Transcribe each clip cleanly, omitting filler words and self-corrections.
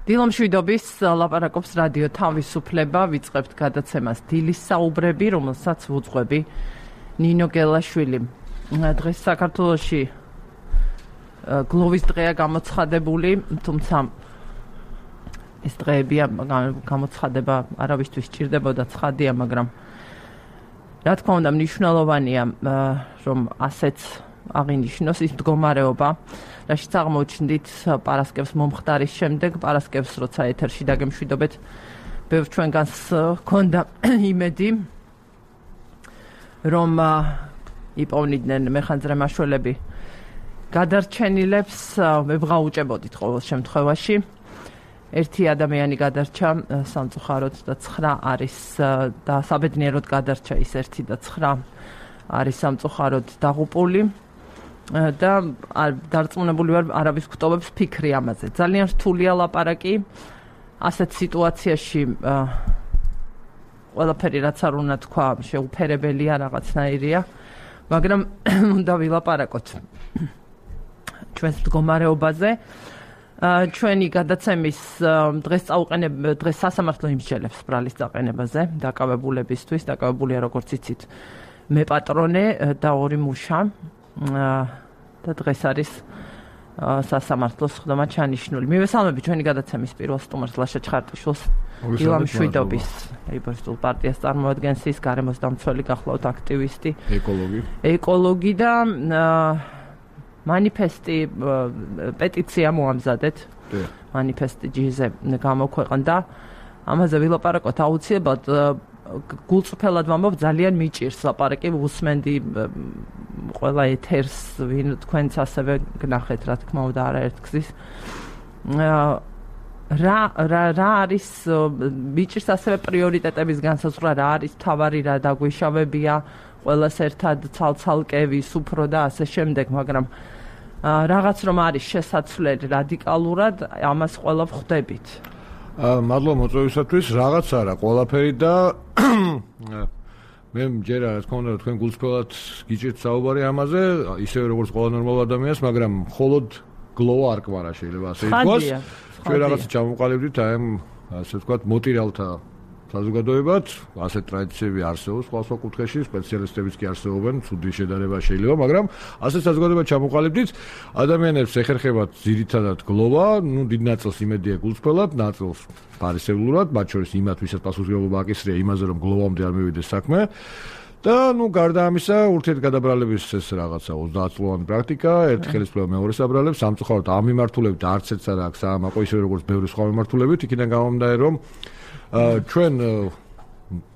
დილომშვიდობის ლაპარაკობს რადიო თავისუფლება, ვიწყებთ გადაცემას დილის საუბრები, რომელსაც ვუძღვები ნინო გელაშვილი. დღეს საქართველოში გლოვის დღეა გამოცხადებული, თუმცა ეს დღეებია გამოცხადება არავისთვის სჭირდებოდა ცხადია, მაგრამ რა თქმა უნდა მნიშვნელოვანია, რომ ასეც აღინიშნოს ის მდგომარეობა, რაშიც აღმოჩნდით პარასკევს მომხდარის შემდეგ, პარასკევს როცა ეთერში დაგემშვიდობეთ, ბევრ ჩვენგანს ჰქონდა იმედი, რომ იპოვნიდნენ მეხანძრე მაშველები გადარჩენილებს, ვეღაუჭებოდით ყოველ შემთხვევაში. ერთი ადამიანი გადარჩა სამწუხაროდ და 9 არის და საბედნიეროდ გადარჩა ის 1 და 9 არის სამწუხაროდ დაღუპული და დარწმუნებული ვარ არავის გვტოვებს ფიქრი ამაზე. ძალიან რთულია ლაპარაკი ასეთ სიტუაციაში ყველაფერი რაც არ უნდა თქვა შეუფერებელია რაღაცნაირია, მაგრამ უნდა ვილაპარაკოთ ჩვენს მდგომარეობაზე. ჩვენი გადაცემის დღეს სასამართლო იმსჯელებს ბრალის დაყენებაზე დაკავებულებისთვის, დაკავებულია როგორც იცით მე პატრონე და 2 მუშა და დღეს არის სასამართლოს ხდომა ჩანიშნული. მივესალმები ჩვენი გადაცემის პირველ სტუმარს ლაშა ჩხარტიშვილს, დილამშვიდობის ლეიბორისტულ პარტიას წარმოადგენს ის, გარემოს დამცველი, გახლავთ აქტივისტი, ეკოლოგი და მანიფესტი პეტიცია მოამზადეთ. მანიფესტი ჯიზე გამოქვეყნდა. ამაზე ვილაპარაკოთ აუცილებლად. გულწრფელად ვამბობ, ძალიან მიჭირს ლაპარაკი, ვუსმენდი ყველა ეთერს, ვინ თქვენც ასევე გნახეთ, რა თქმა უნდა, არაერთგზის. რა არის მიჭირს ასევე პრიორიტეტების განსაზღვრა, რა არის მთავარი, რა დაგვიშავებია, ყველას ერთად ცალცალკევის უფრო და ასე შემდეგ, მაგრამ რაღაც რომ არის შესაძლებელი რადიკალურად, ამას ყველა ვხვდებით. მადლობა მოწვევისათვის, რაღაც არა, ყველაფერი და მე მჯერა რა თქმა უნდა თქვენ გულწრფელად გიჭირთ საუბარი ამაზე, ისევე როგორც ყველა ნორმალ ადამიანს, მაგრამ მხოლოდ გლოვა არ კვარა შეიძლება ასე ითქვას. ჩვენ რაღაცა ჩამოვყალიბდით აი ასე ვთქვათ მოტირალთა საზოგადოებად, ასეთ ტრადიციები არსებობს სხვა კუთხეში, სპეციალისტებიც კი არსებობენ, ცუდი შედარება შეიძლება, მაგრამ ასეთ საზოგადოებად ჩამოყალიბდით, ადამიანებს ეხერხებათ ძირითადად გლოვა, დიდ ნაწილს იმედია გულწრფელად, ნაწილს ფარისევლურად, მათ შორის იმათ, ვისაც პასუხისმგებლობა აკისრია იმაზე, რომ გლოვამდე არ მივიდეს საქმე. და გარდა ამისა, ურთიერთგადაბრალების ეს რაღაცა 30 წლოვანი პრაქტიკა, ერთი ხელისუფლება მეორეს აბრალებს, სამწუხაროდ ამ მიმართულებით არც ერთს არ აქვს საამაყო, ისე როგორც ბევრი სხვა მიმართულებით, იქიდან გამომდინარე, რომ ჩვენ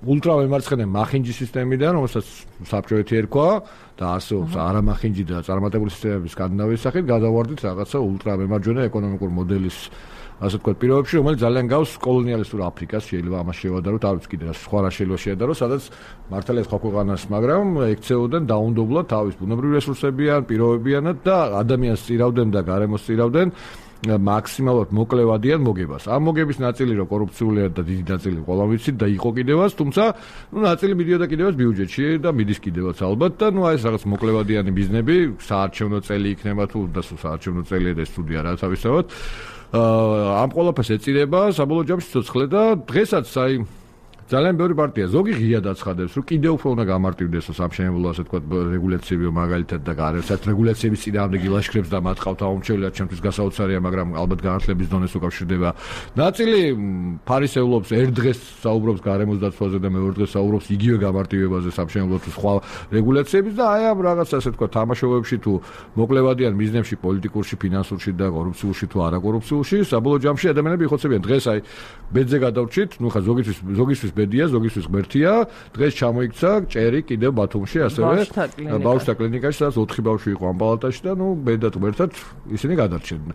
ულტრავემარცხენე მახინჯის სისტემიდან, რომელსაც საბჭოეთი ერქვა და არსებობს არამახინჯი და წარმატებული სისტემების სკანდინავიის სახით, გადავარდით რაღაცა ულტრავემარჯვენე ეკონომიკურ მოდელის ასე ვთქვათ პირობებში, რომელიც ძალიან გავს კოლონიალისტურ აფრიკას, შეიძლება ამას შევადაროთ, არ ვიცი კიდე რა სხვა რა შეიძლება შეადაროს, სადაც მართალია სხვა ქვეყანას, მაგრამ ექცეოდნენ დაუნდობლად თავის ბუნებრივ რესურსებიან, პირობებიანად და ადამიანს წირავდნენ და გარემოს წირავდნენ მაქსიმალურად მოკლევადიან მოგებას. ამ მოგების ნაწილი რო კორუფციულია და დიდი ნაწილი ყველა ვიცით და იყო კიდევაც, თუმცა ნაწილი მიდიოდა კიდევაც ბიუჯეტში და მიდის კიდევაც ალბათ და აი ეს რაღაც მოკლევადიანი ბიზნები, საარჩევნო წელი იქნება თუ და საარჩევნო წელია და სტუდია რა თავისთავად. ამ ყველაფერს ეწირება საბოლოო ჯამში ცოცხლე და დღესაც აი ძალიან ბევრი პარტია ზოგი ღიად აცხადებს, რომ კიდევ უფრო უნდა გამარტივდეს სამშენებლო ასე ვთქვათ რეგულაციები მაგალითად და გარემოსაც რეგულაციების წინააღმდეგ ილაშქრებს და მათ ყავთ აუმჩევლად ჩემთვის გასაოცარია, მაგრამ ალბათ განათლების დონეს უკავშირდება. ნაწილი ფარისევლობს ერთ დღეს საუბრობს გარემოს დაცვაზე და მეორე დღეს საუბრობს იგივე გამარტივებაზე სამშენებლო თუ სხვა რეგულაციების და აი ამ რაღაც ასე ვთქვათ თამაშობებში თუ მოკლევადიან მიზნებში პოლიტიკურში, ფინანსურში და კორუფციულში თუ არაკორუფციულში, საბოლოო ჯამში ადამიანები იხოცებიან. დღეს აი ბედზე გადავრჩით, ხა ზოგისთვის ბედია, ზოგისთვის ღმერთია. დღეს ჩამოიქცა ჭერი კიდევ ბათუმში, ასევე ბავშვთა კლინიკაში, სადაც 4 ბავშვი იყო ამ პალატაში და ბედად ღმერთად ისინი გადარჩნენ.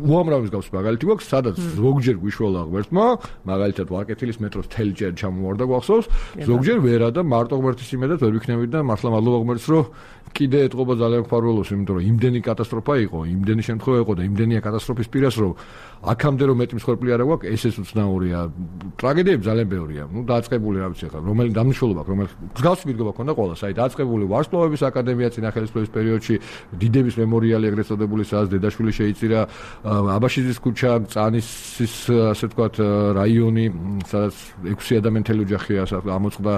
უამრავი მსგავსი მაგალითი გვაქვს, სადაც ზოგჯერ გვიშველა ღმერთმა, მაგალითად ვარკეთილის მეტროს მთელი ჭერი ჩამოვარდა გვახსოვს, ზოგჯერ ვერა და მარტო ღმერთის იმედად ვერ ვიქნებით და მართლა მადლობა ღმერთს, რომ კიდე ეთყობა ძალიან მფარველობს, იმიტომ რომ იმდენი კატასტროფა იყო, იმდენი შემთხვევა იყო და იმდენია კატასტროფის პირას, რომ აქამდე რომ მეტი მსხვერპლი არა გვაქვს, ესეც უცნაურია. ტრაგედიები ძალიან ძალიან ბევრია. დაწყებული რა ვიცი ხა, რომელი დამნაშველობა აქვს, რომელი მსგავსი მიდგომა ქონდა ყველას. აი დაწყებული ვარსკვლავების აკადემია წინახელისფერების პერიოდში, დიდების მემორიალი ეგრეთ წოდებული, სადაც დედაშვილი შეიწირა, აბაშიძის ქუჩა, წანისის ასე ვთქვათ რაიონი, სადაც 6 ადამიანთელი ოჯახია ამოწყდა.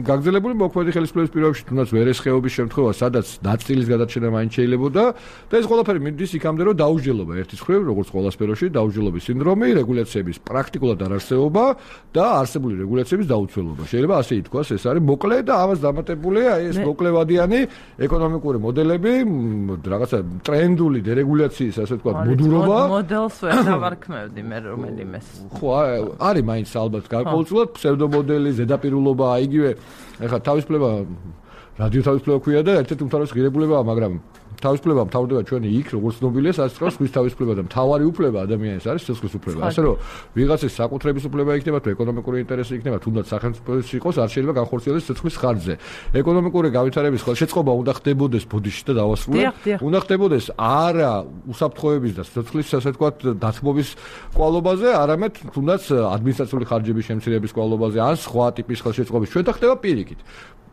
გაგრძელებული მოქმედი ხელისუფლების პირობებში, თუნდაც ვერესხეობის შემთხვევა, სადაც ნაწილის გადარჩენა მაინც შეიძლებოდა და ეს ყველაფერი მიდის იქამდე, რომ დაუსჯელობა ერთის მხრივ, როგორც ყველა სფეროში, დაუსჯელობის სინდრომი, რეგულაციების პრაქტიკულად არარსებობა და არსებული რეგულაციების დაუცველობა. შეიძლება ასე ითქვას, ეს არის მოკლე და ამას დამატებულია ეს მოკლევადიანი ეკონომიკური მოდელები, რაღაცა ტრენდული დერეგულაციის, ასე ვთქვათ, მოდურობა. მოდელს ვერ დავარქმევდი მე რომელიმეს. ხო, არის მაინც ალბათ გარკვეულწილად ფსევდომოდელი, ზედაპირულობა, იგივე ეხლა თავისუფლება რადიო თავისუფლება ქვია და ერთ-ერთი უმთავრესი ღირებულებაა, მაგრამ თავისუფლება მთავრდება ჩვენი იქ, როგორც ცნობილია, სადაც თქვა სხვის თავისუფლება და მთავარი უფლება ადამიანის არის სიცოცხლის უფლება. ასე რომ ვიღაცის საკუთრების უფლება იქნება, თუ ეკონომიკური ინტერესი იქნება, თუნდაც სახელმწიფოს იყოს, არ შეიძლება განხორციელდეს სიცოცხლის ხარჯზე. ეკონომიკური განვითარების ხელშეწყობა უნდა ხდებოდეს ბოდიში და დავასრულებ. უნდა ხდებოდეს არა უსაფრთხოების და სიცოცხლის, ასე ვთქვათ, დათმობის კვალობაზე, არამედ თუნდაც ადმინისტრაციული ხარჯების შემცირების კვალობაზე, ან სხვა ტიპის ხელშეწყობის. ჩვენ და ხდება პირიქით.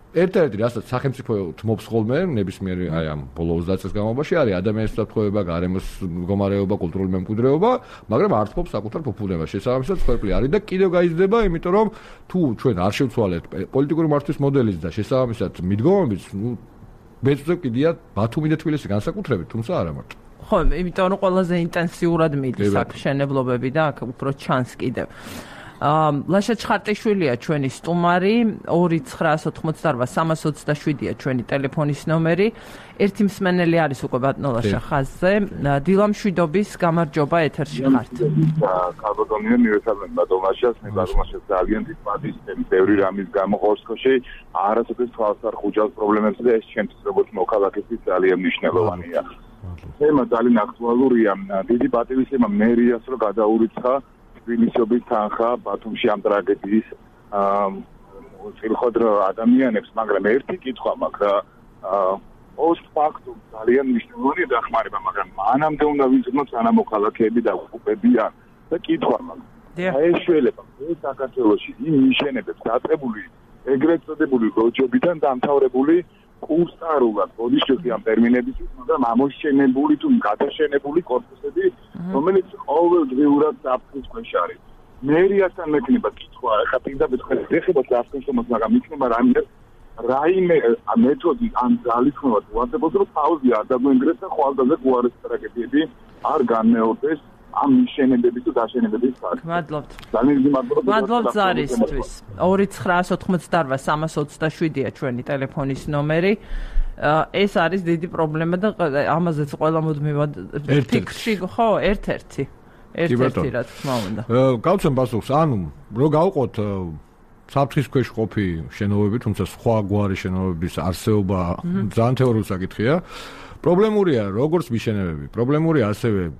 ერთ-ერთი რასაც სახელმწიფო თმობს ხოლმე ნებისმიერ აი ამ ბოლო 20 წელს განმავლობაში არის ადამიანის უსაფრთხოება, გარემოს მდგომარეობა, კულტურული მემკვიდრეობა, მაგრამ არ თმობს საკუთარ ფუფუნებას. შესაბამისად, ყველაფერი არის და კიდევ გაიზრდება, იმიტომ რომ თუ ჩვენ არ შევცვალეთ პოლიტიკური მართვის მოდელის და შესაბამისად მიდგომების, ბეჭდზე კიდია ბათუმი და თბილისი განსაკუთრებით, თუმცა არა მარტო. ხო, იმიტომ რომ ყველაზე ინტენსიურად მიდის აქ მშენებლობები და აქ უფრო ჩანს კიდევ. ლაშა ჩხარტიშვილია ჩვენი სტუმარი, 2988327-ია ჩვენი ტელეფონის ნომერი. ერთი მსმენელი არის უკვე ბატონო ლაშა ხაზზე. დილამშვიდობის გამარჯობა, ეთერში ხართ. ქალბატონია, მივესალმებ ბატონ ლაშას, მე ბატონ ლაშას ძალიან დიდ პატივისცემი ბევრი რამის გამო ხორცქოში, არასოდეს თვალს არ ხუჭავს პრობლემებზე და ეს ჩემთვის როგორც მოქალაქისთვის ძალიან მნიშვნელოვანია. თემა ძალიან აქტუალურია. დიდი პატივისცემა მერიას რომ გადაურიცხა თბილისობის თანხა ბათუმში ამ ტრაგედიის წილხოდრ ადამიანებს, მაგრამ ერთი კითხვა მაქვს რა პოსტფაქტუმ ძალიან მნიშვნელოვანი დახმარება, მაგრამ მანამდე უნდა ვიზრუნოთ სანამოქალაქეები და ოკუპებიან და კითხვა მაქვს. ეს შეიძლება ეს საქართველოში იმ მიშენებებს დაწყებული ეგრეთ წოდებული როჯობიდან დამთავრებული კურსტარულად ბოდიშები ამ ტერმინებისთვის, მაგრამ ამოშენებული თუ გადაშენებული კორპუსები, რომელიც ყოველდღიურად საფრთხის ქვეშ არის. მერიასთან მექნება კითხვა, ახლა პირდაპირ ეხება საფრთხის, მაგრამ იქნება რაიმე მეთოდი ან ძალისხმევა თუ არსებობს, რომ თავზე არ დაგვენგრეს და ხვალდაზე უარეს ტრაგედიები არ განმეორდეს ამ მიშენებების თუ დაშენებების ფაქტი. მადლობთ. ძალიან მადლობა. მადლობთ ზარისთვის. 2988327-ია ჩვენი ტელეფონის ნომერი. ეს არის დიდი პრობლემა და ამაზეც ყველა მუდმივად ფიქრში, ხო, ერთ-ერთი რა თქმა უნდა. გავცემ პასუხს, ანუ რო გავყოთ საფრთხის ქვეშ ყოფი შენობები, თუმცა სხვა გვარი შენობების არსებობა ძალიან თეორიული საკითხია. პრობლემურია როგორც მიშენებები, პრობლემურია ასევე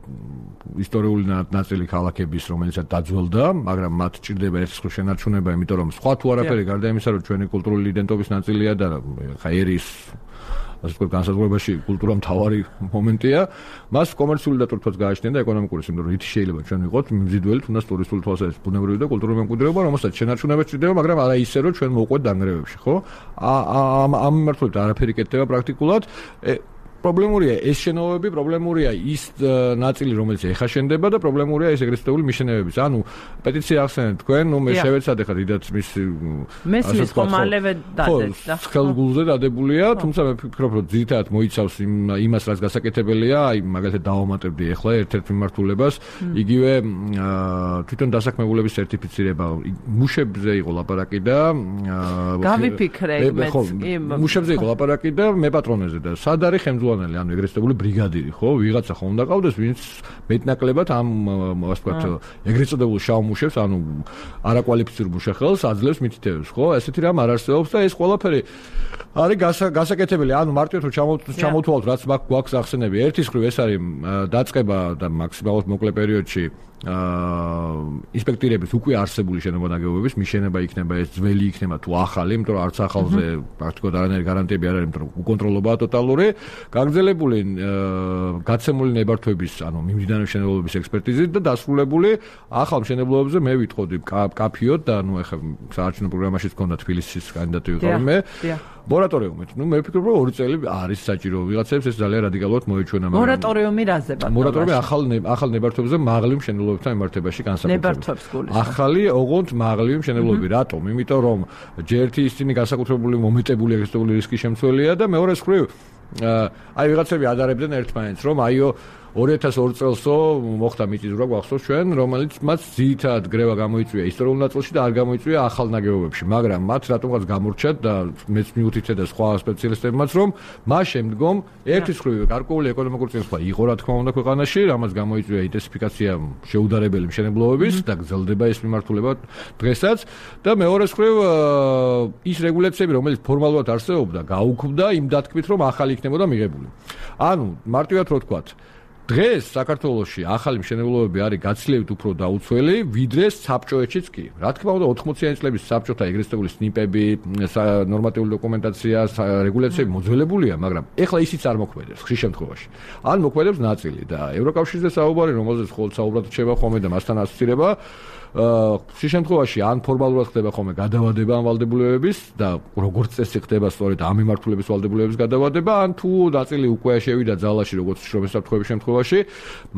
ისტორიული ნაწილი ქალაქების, რომელიცაც დაძველდა, მაგრამ მათ ჭირდება ერთხელ შენარჩუნება, იმიტომ რომ სხვა თუ არაფერი გარდა იმისა, რომ ჩვენი კულტურული იდენტობის ნაწილია და ხა ერის ასე ვთქვათ, განსაზღვრებაში კულტურა მთავარი მომენტია, მას კომერციული დატვირთვაც გააჩნია და ეკონომიკური სიმდიდრე, რითი შეიძლება ჩვენ ვიყოთ მზიდველი, თუნდაც ტურისტული თვალსაზრისით, ბუნებრივი და კულტურული მემკვიდრეობა, რომელსაც შენარჩუნება ჭირდება, მაგრამ არა ისე, რომ ჩვენ მოვყვეთ დანგრევებში, ხო? ამ მიმართულებით არაფერი კეთდება პრაქტიკულად. პრობლემურია ეს შენობები, პრობლემურია ის ნაწილი, რომელიც ეხა შენდება და პრობლემურია ეს ეგრეთ წოდებული მიშენებების. ანუ პეტიცია ახსენეთ თქვენ, მე შევეცადე ხა დიდად მისი მესმის ხომალევე დადეთ და ხელგულზე დადებულია, თუმცა მე ვფიქრობ, რომ ძირითადად მოიცავს იმას, რაც გასაკეთებელია, აი მაგალითად დავამატებდი ახლა ერთ-ერთ მიმართულებას, იგივე თვითონ დასაქმებულების სერტიფიცირება, მუშებზე იყო ლაპარაკი და გავიფიქრე იმეც, მუშებზე იყო ლაპარაკი და მეპატრონეზე და სად არის ხელმძღვანელი, ანუ ეგრეთ წოდებული ბრიგადირი, ხო? ვიღაცა ხომ უნდა ყავდეს, ვინც მეტნაკლებად ამ ასე ვთქვათ, ეგრეთ წოდებულ შავ მუშებს, ანუ არაკვალიფიცირებულ მუშახელს აძლევს მითითებებს, ხო? ესეთი რამ არ არსებობს და ეს ყველაფერი არის გასაკეთებელი. ანუ მარტივად რომ ჩამოთვალოთ, რაც გვაქვს ახსენები, ერთის მხრივ ეს არის დაწყება და მაქსიმალურად მოკლე პერიოდში ინსპექტირების უკვე არსებული შენობა-ნაგებობების მიშენება იქნება, ეს ძველი იქნება თუ ახალი, იმიტომ რომ არც ახალზე პრაქტიკულად არანაირი გარანტიები არ არის, იმიტომ რომ უკონტროლობაა ტოტალური. გაგრძელებული გაცემული ნებართვების, ანუ მიმდინარე მშენებლობების ექსპერტიზით და დასრულებული ახალ მშენებლობებზე მე ვიტყოდი კაფიოდ და ეხლა საარჩევნო პროგრამაშიც გქონდა თბილისის კანდიდატი ვიყავი მე. მორატორიუმით. მე ვფიქრობ, რომ 2 წელი არის საჭირო ვიღაცებს ეს ძალიან რადიკალურად მოეჩვენა. მორატორიუმი რაზე ბატონო? მორატორიუმი ახალ ნებართვებზე მაღლივ მშენებლობებთან მიმართებაში განსაკუთრებით. ნებართვებს გულისხმობს. ახალი ოღონდ მაღლივი მშენებლობები. რატომ? იმიტომ რომ ჯერთი ისინი განსაკუთრებული მომეტებული ეგრესიული რისკის შემცველია და მეორე მხრივ აი ვიღაცები ადარებდნენ ერთმანეთს, რომ აიო 2002 წელსო მოხდა მიწისძვრა გვახსოვს ჩვენ, რომელიც მათ ძირითადად გრევა გამოიწვია ისტორიულ ნაწილში და არ გამოიწვია ახალ ნაგებობებში, მაგრამ მათ რატომღაც გამორჩათ და მეც მიუთითე და სხვა სპეციალისტებმაც, რომ მას შემდგომ ერთის მხრივ გარკვეული ეკონომიკური წინსვლა იყო რა თქმა უნდა ქვეყანაში, რამაც გამოიწვია ინტენსიფიკაცია შეუდარებელი მშენებლობების და გრძელდება ეს მიმართულება დღესაც და მეორეს მხრივ ის რეგულაციები, რომელიც ფორმალურად არსებობდა, გაუქმდა იმ დათქმით, რომ ახალი იქნებოდა მიღებული. ანუ მარტივად რო ვთქვათ, დღეს საქართველოში ახალი მშენებლობები არის გაცილებით უფრო დაუცველი, ვიდრე საბჭოეთშიც კი. რა თქმა უნდა 80-იანი წლების საბჭოთა ეგრესტებული სნიპები, ნორმატიული დოკუმენტაცია, რეგულაციები მოძველებულია, მაგრამ ეხლა ისიც არ მოქმედებს ხშირ შემთხვევაში. ან მოქმედებს ნაწილი და ევროკავშირზე საუბარი, რომელზეც ხოლმე საუბრად რჩება ხოლმე და მასთან ასოცირება ხშირ შემთხვევაში ან ფორმალურად ხდება ხოლმე გადავადება ამ ვალდებულებების და როგორც წესი ხდება სწორედ ამ მიმართულების ვალდებულებების გადავადება, ან თუ ნაწილი უკვე შევიდა ძალაში როგორც შრომის საფრთხეების შემთხვევაში,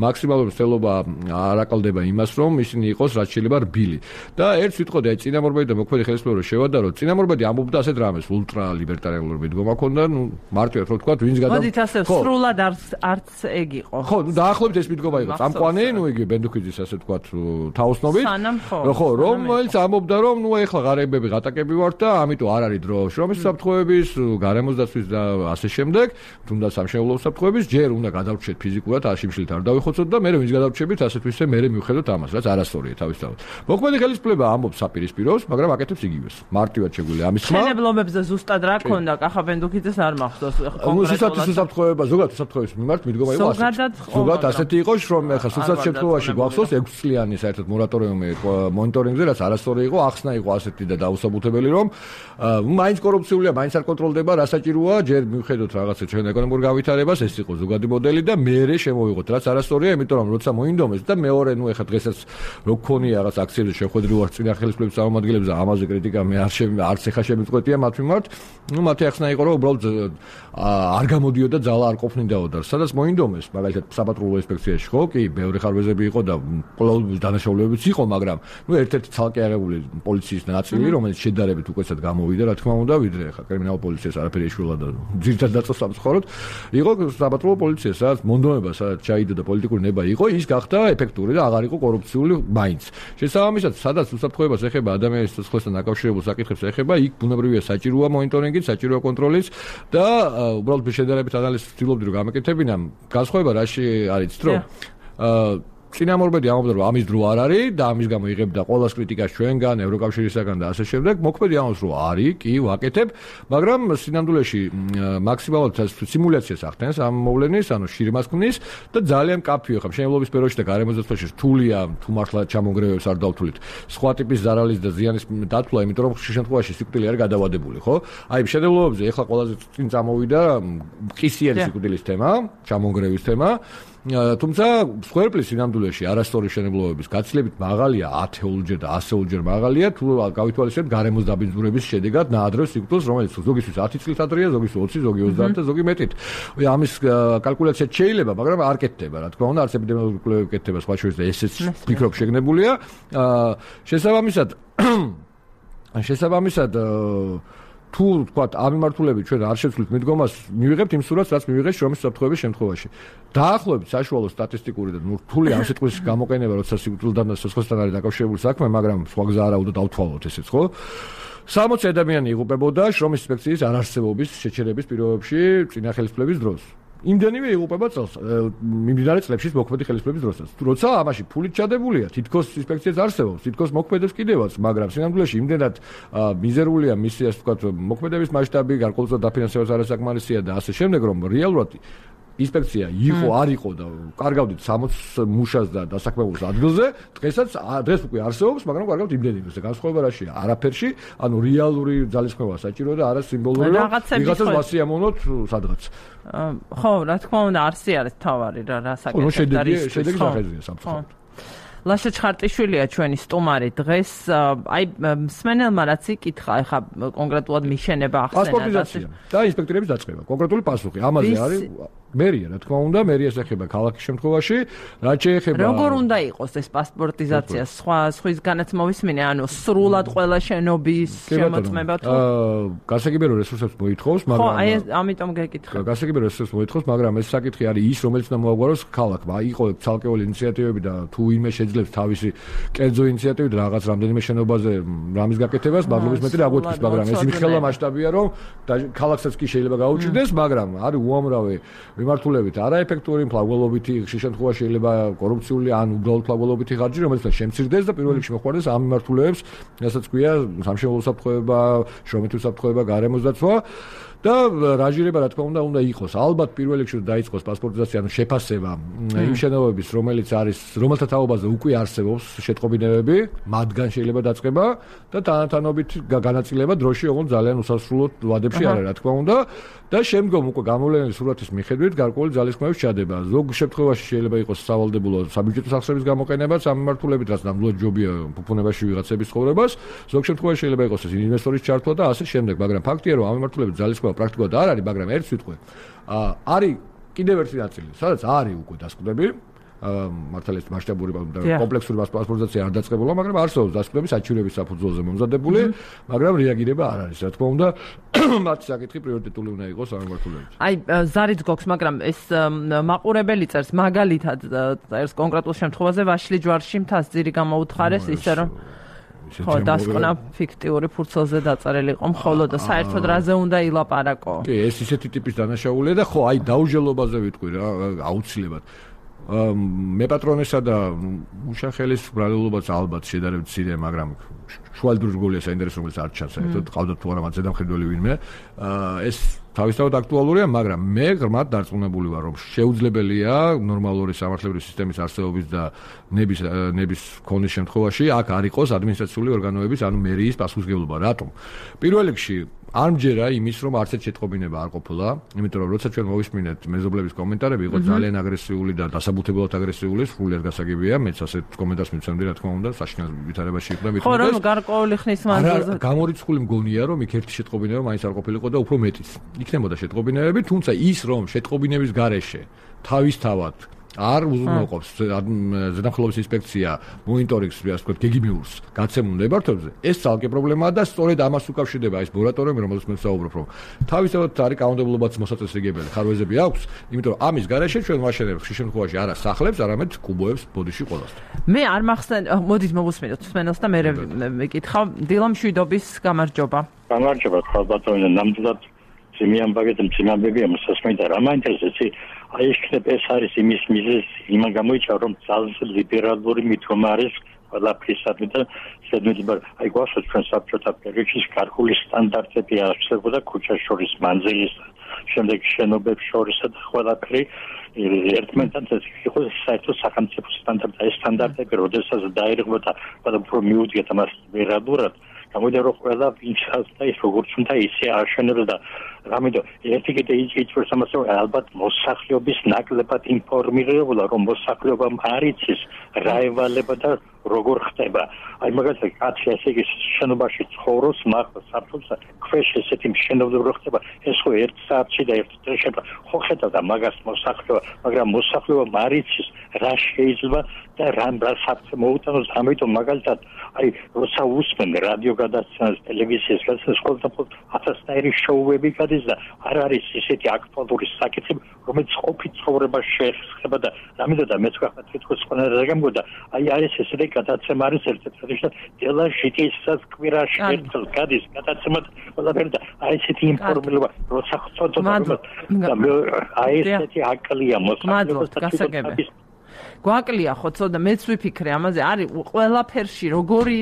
მაქსიმალური მცდელობა არ აკლდება იმას, რომ ისინი იყოს რაც შეიძლება რბილი. და ერთ ვიტყოდი, აი წინამორბედი და მოქმედი ხელისუფლება შევადაროთ, წინამორბედი ამბობდა ასეთ რამეს, ულტრალიბერტარიული მიდგომა ქონდა, ნუ მარტივად რო ვთქვათ, ვინც მოდით ასე სრულად არც ეგ იყო. ხო, დაახლოებით ეს მიდგომა იყო. წამყვანი, ნუ იგი ბენდუქიძის ასე ვთქვათ, თაოსნობით. ხო, რომელიც ამბობდა, რომ ნუ ეხლა ღარიბები ღატაკები ვართ და ამიტომ არ არის დრო შრომის საფრთხეების, გარემოს დაცვის და ასე შემდეგ, თუნდაც სამშენებლო საფრთხეების, ჯერ უნდა გადავრჩეთ ფიზიკურად, აშიმშილით არ დავიხოცოთ და მე ვინც გადავრჩებით, ასეთ ვისე მე მივხედოთ ამას, რაც არასწორია თავისთავად. მოქმედი ხელისუფლება ამბობს საპირისპიროს, მაგრამ აკეთებს იგივეს. მარტივად შეგვიძლია ამის ხმა. მშენებლობებზე ზუსტად რა ქონდა? კახა ბენდუქიძეს არ მახსოვს კონკრეტულად. საფრთხეება, ზოგადად საფრთხეების მიმართ მიდგომა იყო ასე. ზოგადად ასეთი იყო, რომ ეხლა სულსაც შემთხვევაში გვახსოვს 6 წლიანი საერთოდ მორატორიუმი მონიტორინგზე, რაც არასწორი იყო, ახსნა იყო ასეთი და დაუსაბუთებელი, რომ მაინც კორუფციულია, მაინც არ კონტროლდება, რა საჭიროა, ჯერ მივხედოთ რაღაცა ჩვენ ეკონომიკურ გავითარებას, ეს იყო ზოგადი მოდელი და მეერე შემოვიღოთ, რაც არასწორია, იმიტომ რომ როცა მოინდომეს და მეორე, ნუ ეხლა დღესაც რო გქონია რაღაც აქციებზე შეხვედრი ვარ წინა ხელისუფლების წარმომადგენლებს და ამაზე კრიტიკა მე არც ეხა შემიწყვეტია მათ მიმართ, ნუ მათი ახსნა იყო, რომ უბრალოდ არ გამოდიოდა ძალა არ ყოფნიდაო და სადაც მოინდომეს, მაგალითად საპატრულო ინსპექციაში ხო, კი, ბევრი ხარვეზები იყო და ყოველთვის დანაშაულებებიც იყო, მაგრამ ნუ ერთ-ერთი ცალკე აღებული პოლიციის ნაწილი, რომელიც შედარებით უკეთესად გამოვიდა, რა თქმა უნდა, ვიდრე ხა კრიმინალ პოლიციას არაფერი ეშველა და ძირითადად დაწოს სამწუხაროდ, იყო საპატრულო პოლიცია, სადაც მონდომება, სადაც ჩაიდო და პოლიტიკური ნება იყო, ის გახდა ეფექტური და აღარ იყო კორუფციული მაინც. შესაბამისად, სადაც უსაფრთხოებას ეხება ადამიანის სიცოცხლესთან დაკავშირებულ საკითხებს ეხება, იქ ბუნებრივია საჭიროა მონიტორინგი, საჭიროა კონტროლიც და უბრალოდ შედარებით ანალიზს ვცდილობდი რომ გამეკეთებინა. განსხვავება რაში არის, რომ წინამორბედი ამბობდა, რომ ამის დრო არ არის და ამის გამო იღებდა ყოველას კრიტიკას ჩვენგან, ევროკავშირისაგან და ასე შემდეგ. მოქმედი ამბობს, რომ არის, კი, ვაკეთებ, მაგრამ სინამდვილეში მაქსიმალურად სიმულაციას ახდენს ამ მოვლენის, ანუ შირიმას ქმნის და ძალიან კაფეო ხა მშენებლობის პერიოდში და გარემოს დაცვაში რთულია, თუ მართლა ჩამონგრევებს არ დავთვლით. სხვა ტიპის ზარალის და ზიანის დათვლა, იმიტომ რომ ხშირ შემთხვევაში სიკვდილი არის გადავადებული, ხო? აი, მშენებლობებზე ეხლა ყველაზე წინ წამოვიდა ყისიანი სიკვდილის თემა, ჩამონგრევის თემა. თუმცა სხერფლის სინამდვილეში არასწორი მშენებლობების გაცილებით მაღალია 10-ოლჯერ და 100-ოლჯერ მაღალია თუ გავითვალისწინებთ გარემოს დაბინძურების შედეგად ნაადრევ სიკვდილს, რომელიც ზოგისთვის 10 წლით ადრეა, ზოგის 20, ზოგი 30 და ზოგი მეტით. ამის კალკულაცია შეიძლება, მაგრამ არ კეთდება, რა თქმა უნდა, არც ეპიდემიოლოგიური კვლევები კეთდება სხვა შორის და ესეც ვფიქრობ შეგნებულია. შესაბამისად თუ ვთქვათ ამ მიმართულებით ჩვენ არ შევცვლით მიდგომას, მივიღებთ იმ სურათს, რაც მივიღეს შრომის საფრთხეების შემთხვევაში. დაახლოებით საშუალო სტატისტიკური და რთული ამ სიტყვის გამოყენება, როცა სიკვდილთან და სიცოცხლესთან არის დაკავშირებული საქმე, მაგრამ სხვა გზა არა უნდა დავთვალოთ ესეც, ხო? 60 ადამიანი იღუპებოდა შრომის ინსპექციის არარსებობის შეჩერების პირობებში წინა ხელისუფლების დროს. იმდენივე იღუპება წელს მიმდინარე წლებშიც მოქმედი ხელისუფლების დროსაც. როცა ამაში ფულით ჩადებულია, თითქოს ინსპექციაც არსებობს, თითქოს მოქმედებს კიდევაც, მაგრამ სინამდვილეში იმდენად მიზერულია მისი ასე ვთქვათ მოქმედების მასშტაბი, გარკვეულწილად დაფინანსებაც არასაკმარისია და ასე შემდეგ, რომ რეალურად ინსპექცია იყო, არ იყო და კარგავდით 60 მუშას და დასაქმებულს ადგილზე, დღეს უკვე არსებობს, მაგრამ კარგავთ იმდენივე და განსხვავება რაშია? არაფერში, ანუ რეალური ძალისხმევა საჭირო და არა სიმბოლური, ვიღაცას ვასიამოვნოთ სადღაც. ხო, რა თქმა უნდა, არსი არის თავარი რა საკითხი არის. შედეგი სახეზია სამწუხაროდ. ლაშა ჩხარტიშვილია ჩვენი სტუმარი დღეს, აი მსმენელმა რაც იკითხა, ეხა კონკრეტულად მიშენება ახსენა და ინსპექტორების დაწყება. კონკრეტული პასუხი ამაზე არის მერია, რა თქმა უნდა, მერიას ეხება ქალაქის შემთხვევაში, რაც შეეხება როგორ უნდა იყოს ეს პასპორტიზაცია, სხვისგანაც მოვისმინე, ანუ სრულად ყველა შენობის შემოწმება თუ გასაგებია რესურსებს მოითხოვს, მაგრამ ხო, აი ამიტომ გეკითხა. გასაგებია რესურსებს მოითხოვს, მაგრამ ეს საკითხი არის ის, რომელიც უნდა მოაგვაროს ქალაქმა. იყო ცალკეული ინიციატივები და თუ ვინმე შეძლებს თავისი კერძო ინიციატივით რაღაც რამდენიმე შენობაზე რამის გაკეთებას, მადლობის მეტი რა გვეთქვის, მაგრამ ეს იმხელა მასშტაბია, რომ ქალაქსაც კი შეიძლება გაუჭირდეს, მაგრამ არის უამრავი მიმართულებით არაეფექტური, მფლაგველობითი, ხშირ შემთხვევაში შეიძლება კორუფციული ან უბრალოდ მფლაგველობითი ხარჯი, რომელიც შემცირდეს და პირველ რიგში მოხდეს ამ მიმართულებს, რასაც ქვია სამშენებლო უსაფრთხოება, შრომითი უსაფრთხოება, გარემოს დაცვა და რაჟირება რა თქმა უნდა იყოს. ალბათ პირველ რიგში დაიწყოს პასპორტიზაცია, ანუ შეფასება იმ შენობების, რომელიც არის, რომელთა თაობაზე უკვე არსებობს შეტყობინებები, მათგან შეიძლება დაწყება და თანათანობით განაწილება დროში, ოღონდ ძალიან უსასრულო ვადებში არის, რა თქმა უნდა. და შემდგომ უკვე გამოვლენილი სურათის მიხედვით გარკვეული ძალისხმევების ჩადება. ზოგ შემთხვევაში შეიძლება იყოს სავალდებულო საბიუჯეტო სახსრების გამოყენებაც ამ მიმართულებით, რაც ნამდვილად ჯობია ფუფუნებაში ვიღაცების ცხოვრებას. ზოგ შემთხვევაში შეიძლება იყოს ეს ინვესტორის ჩართვა და ასე შემდეგ, მაგრამ ფაქტია, რომ ამ მიმართულებით ძალისხმევა პრაქტიკულად არ არის, მაგრამ ერთ სიტყვით არის კიდევ ერთი ნაწილი, სადაც არის უკვე დასკვნები. მართალია მასშტაბური და კომპლექსური პასპორტიზაცია არ დაწყებულა, მაგრამ არსებობს დასკვნები საჩივრების საფუძველზე მომზადებული, მაგრამ რეაგირება არ არის. რა თქმა უნდა, მათი საკითხი პრიორიტეტული უნდა იყოს ამ მიმართულებით. აი, ზარიც გქოს, მაგრამ ეს მაყურებელი წერს მაგალითად წერს კონკრეტულ შემთხვევაზე ვაშლი ჯვარში მთას ძირი გამოუთხარეს, ისე რომ ხო, დასკვნა ფიქტიური ფურცელზე დაწერილი იყო მხოლოდ და საერთოდ რაზე უნდა ილაპარაკო. კი, ეს ისეთი ტიპის დანაშაულია და ხო, აი დაუჯელობაზე ვიტყვი რა, აუცილებლად. მეპატრონესა და მუშახელის ბრალულობაც ალბათ შედარებით მცირე, მაგრამ შუალდროიგოლია საინტერესო, რომელიც არ ჩანს საერთოდ, ყავდათ თუ არა მათ ზედამხედველი ვინმე. ეს თავისთავად აქტუალურია, მაგრამ მე ღრმად დარწმუნებული ვარ, რომ შეუძლებელია ნორმალური სამართლებრივი სისტემის არსებობის და ნების ქონის შემთხვევაში აქ არ იყოს ადმინისტრაციული ორგანოების, ანუ მერიის პასუხისმგებლობა. რატომ? პირველ რიგში არ მჯერა იმის, რომ არც ერთ შეტყობინება არ ყოფილა, იმიტომ რომ როცა ჩვენ მოვისმინეთ მეზობლების კომენტარები, იყო ძალიან აგრესიული და დასაბუთებულად აგრესიული, სრულიად გასაგებია, მეც ასეთ კომენტარს მიცემდი, რა თქმა უნდა, საშინელ ვითარებაში იყო და მithmedes. ხო, რომ გარკვეული ხნის მანძილზე გამორიცხული მგონია, რომ იქ ერთი შეტყობინება მაინც არ ყოფილიყო და უფრო მეტიც. იქნებოდა შეტყობინებები, თუმცა ის, რომ შეტყობინების გარეშე თავისთავად არ უზრუნველყოფს ზედამხედველობის ინსპექცია მონიტორინგს, ასე ვთქვათ, გეგმიურს გაცემულ ნებართვებზე, ეს ძალკე პრობლემაა და სწორედ ამას უკავშირდება ეს მორატორიუმი, რომელზეც მე ვსაუბრობ, რომ თავისთავად არის კანონმდებლობაც მოსაწესრიგებელი, ხარვეზები აქვს, იმიტომ რომ ამის გარეშე ჩვენ ვაშენებთ ხშირ შემთხვევაში არა სახლებს, არამედ კუბოებს ბოდიში ყველასთან. მე არ მახსენ, მოდით მოვუსმინოთ მსმენელს და მე მეკითხავ, დილა მშვიდობის გამარჯობა. გამარჯობა, ხალბატონო, ნამდვილად ძიმიანბაგეთ ძიმიანბებია მოსასმენ და რა მაინტერესებს აი ეს არის იმის მიზეზი, იმა გამოიჩა რომ ძალზე ლიბერალური მითქმა არის ყველაფრისადმი და ზედმეტად აი გვახსოვს ჩვენ საბჭოთა პერიოდში ქართული სტანდარტები არსებობდა ქუჩას შორის მანძილის შემდეგ შენობებს შორისა და ყველაფერი ერთმანეთთან იყო საერთო სახელმწიფო სტანდარტი. ეს სტანდარტები როდესაც დაირღვევა და უფრო მიუძღეთ ამას ლიბერალურად გამოდია რომ ყველა ვინცას და ის როგორც უნდა ისე აშენებს და რამედო ერთი კიდე იწვევს ამას რომ ალბათ მოსახლეობის ნაკლებად ინფორმირებულა რომ მოსახლეობამ არ იცის რა ევალება და როგორ ხდება. აი მაგალითად კაცი ესე იგი შენობაში ცხოვრობს, მაგრამ საფრთხე ქვეშ ესეთი მშენებლობა ხდება. ეს ხო ერთ საათში და ერთ დღეში ხო ხედავდა მაგას მოსახლეობა, მაგრამ მოსახლეობამ არ იცის რა შეიძლება და რა საფრთხე მოუტანოს. ამიტომ მაგალითად აი როცა უსმენ რადიო გადაცემას, ტელევიზიის გადაცემას, ყოველდღე ათასნაირი შოუები გადის და არ არის ისეთი აქტუალური საკითხი, რომელიც ყოფით ცხოვრებას შეეხება და რამედოდა მეც გახდა თვითონ ყველა გამგოდა. აი არის ესეთი გადაცემა არის ერთ-ერთი და დელა ჟიტისაც კვირაში ერთხელ გადის გადაცემა ყველაფერი და აი ესეთი ინფორმირება როცა ხწოდო და აი ესეთი აკლია მოსახლეობას და გვაკლია ხო ცოტა მეც ვიფიქრე ამაზე არის ყველაფერში როგორი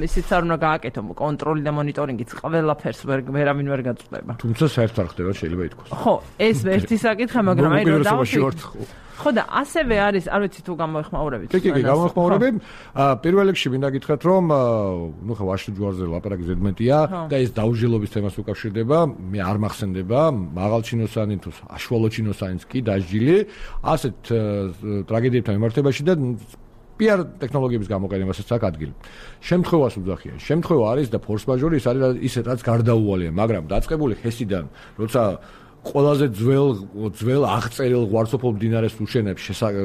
ისიც არ უნდა გააკეთო კონტროლი და მონიტორინგიც ყველაფერს ვერავინ ვერ გაწყვეტება. თუმცა საერთოდ არ ხდება შეიძლება ითქვას. ხო, ეს ერთი საკითხი, მაგრამ აი რომ დავფიქრე ხო და ასევე არის, არ ვიცი თუ გამოეხმაურებით. კი, გამოეხმაურები. პირველ რიგში მინდა გითხრათ, რომ ნუ ხო ვაშლი ჯვარზე ლაპარაკი ზედმეტია და ეს დაუჟილობის თემას უკავშირდება, მე არ მახსენდება, მაღალჩინოსანი თუ აშუალოჩინოსანიც კი დასჯილი, ასეთ ტრაგედიებთან მიმართებაში და PR ტექნოლოგიების გამოყენებასაც აქვს ადგილი. შემთხვევას უძახიან. შემთხვევა არის და ფორს მაჟორი ის არის ისეთ რაც გარდაუვალია, მაგრამ დაწყებული ხესიდან, როცა ყველაზე ძველ აღწერილ ღვარცოფელ მდინარეს უშენებს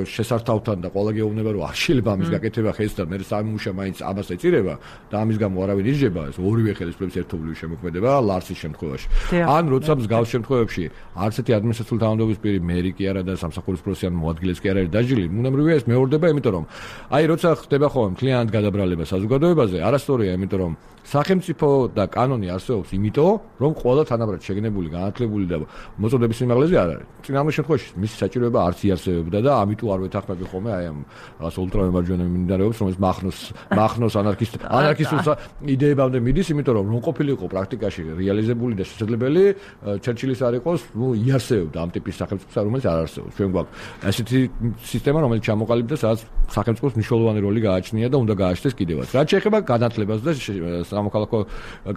შესართავთან და ყველა გეუბნება რომ არ შეიძლება ამის გაკეთება ხესთან, მე სამუშა მაინც ამას ეწირება და ამის გამო არავინ იჯება, ეს ორივე ხელისუფლების ერთობლივი შემოქმედება ლარსის შემთხვევაში. ან როცა მსგავს შემთხვევებში არც ერთი ადმინისტრაციული თანამდებობის პირი მერი კი არა და სამსახურის პროფესიონალი მოადგილეც კი არ არის დაჯილი, უნემრივია ეს მეორდება, იმიტომ რომ აი როცა ხდება ხოლმე მთლიანად გადაბრალება საზოგადოებაზე, არასწორია, იმიტომ რომ სახელმწიფო და კანონი არსებობს იმიტომ, რომ ყველა თანაბრად შეგნებული, განათლებული და მოწოდების სიმაღლეზე არ არის. წინამორბედი შემთხვევაში მისი საჭიროება არც იარსებებდა და ამიტომ არ ვეთანხმები ხოლმე აი ამ რაღაც ულტრამემარჯვენე მინდარებს, რომელიც მახნოს ანარქისტულ იდეებამდე მიდის, იმიტომ რომ ყოფილიყო პრაქტიკაში რეალიზებული და შესაძლებელი ჩერჩილის არ იყოს, ნუ იარსებებდა ამ ტიპის სახელმწიფოს, რომელიც არ არსებობს. ჩვენ გვაქვს ასეთი სისტემა, რომელიც ჩამოყალიბდა, სადაც სახელმწიფოს მნიშვნელოვანი როლი გააჩნია და უნდა გააჩნდეს კიდევაც. რაც შეეხება განათლებას და სამოქალაქო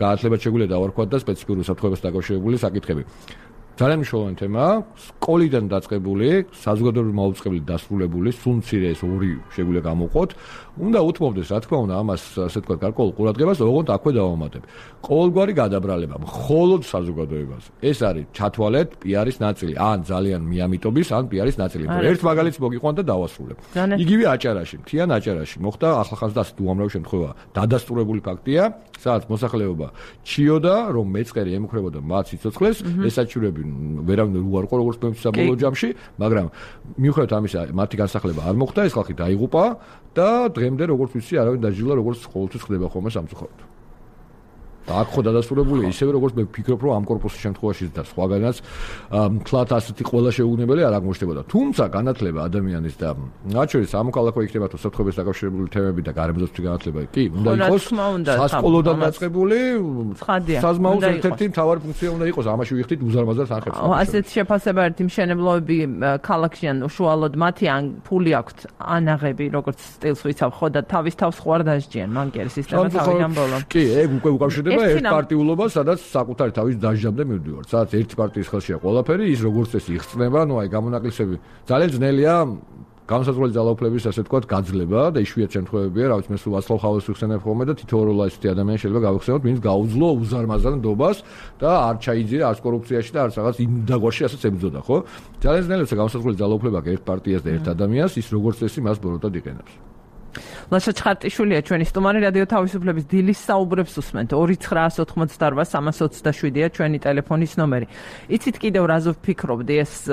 განათლებას შეგვიძლია დავარქვათ და სპეციფიურ უსაფრთხოებას დაკავშირებული საკითხები. ძალიან მნიშვნელოვანი თემაა, სკოლიდან დაწყებული, საზოგადოებრივი მაუწყებლით დასრულებული, სულ მცირე ეს ორი შეგვიძლია გამოვყოთ. უნდა უთმობდეს, რა თქმა უნდა, ამას ასე თქვა გარკვეულ ყურადღებას, ოღონდ აქვე დავამატებ. ყოველგვარი გადაბრალება მხოლოდ საზოგადოებაზე. ეს არის ჩათვალეთ PR-ის ნაწილი, ან ძალიან მიამიტობის, ან PR-ის ნაწილი. ერთ მაგალითს მოგიყვან და დავასრულებ. იგივე აჭარაში, მთიან აჭარაში მოხდა ახალხაზრდა ასეთი უამრავი შემთხვევა. დადასტურებული ფაქტია, სადაც მოსახლეობა ჩიოდა, რომ მეწყერი ემუქრებოდა მათ სიცოცხლეს, ეს საჭიროები ვერავინ უარყო როგორც საბოლოო ჯამში, მაგრამ მიუხედავად ამისა, მათი განსახლება არ მოხდა, ეს ხალხი დაიღუპა და დღემდე როგორც ვიცი, არავინ დაჯილა, როგორც ყოველთვის ხდება ხოლმე სამწუხაროდ. აქ ხო დადასტურებულია ისევე როგორც მე ვფიქრობ, რომ ამ კორპუსის შემთხვევაში და სხვაგანაც მთლად ასეთი ყველა შეუგნებელი არ აღმოჩნდებოდა. თუმცა განათლება ადამიანის და მათ შორის სამოქალაქო იქნება თუ საფრთხეების დაკავშირებული თემები და გარემოძებნი განათლება კი უნდა იყოს სასკოლოდან დაწყებული, საზმაუს ერთ-ერთი მთავარი ფუნქცია უნდა იყოს, ამაში ვიხდით უზარმაზარ თანხებს. ასეთ შეფასებაერთი მშენებლობები ქალაქში ან უშუალოდ მათი ან ფული აქვთ ანაღები, როგორც სტილს ვიცავ, ხო და თავის თავს ხوار დასჯიან მანკერის სისტემა თავიდან ბოლომდე. კი, ეგ უკვე უკავშირდება ერთ პარტიულობა, სადაც საკუთარი თავის დასჯამდე მივდივართ. სადაც ერთი პარტიის ხელშია ყველაფერი, ის როგორც წესი იხსნება, ნუ აი გამონაკლისები ძალიან ძნელია განსაზღვრელი ძალაუფლების ასე თქვა გაძლება და იშვიათ შემთხვევებია, რა ვიცი, მე სულ ვაცლავ ხავას ვიხსენებ ხოლმე და თითოეულ ასეთი ადამიანი შეიძლება გავიხსენოთ, ვინც გაუძლო უზარმაზარ ნდობას და არ ჩაიძირა არც კორუფციაში და არც რაღაც იმ დაგვაში ასეც ებრძოდა, ხო? ძალიან ძნელია განსაზღვრელი ძალაუფლება ერთ პარტიას და ერთ ადამიანს, ის როგორც წესი მას ბოროტად იყენებს. ლაშა ჩხარტიშვილია ჩვენი სტუმარი, რადიო თავისუფლების დილის საუბრებს უსმენთ. 2988-327-ია ჩვენი ტელეფონის ნომერი. იცით კიდევ რაზე ვფიქრობდი ეს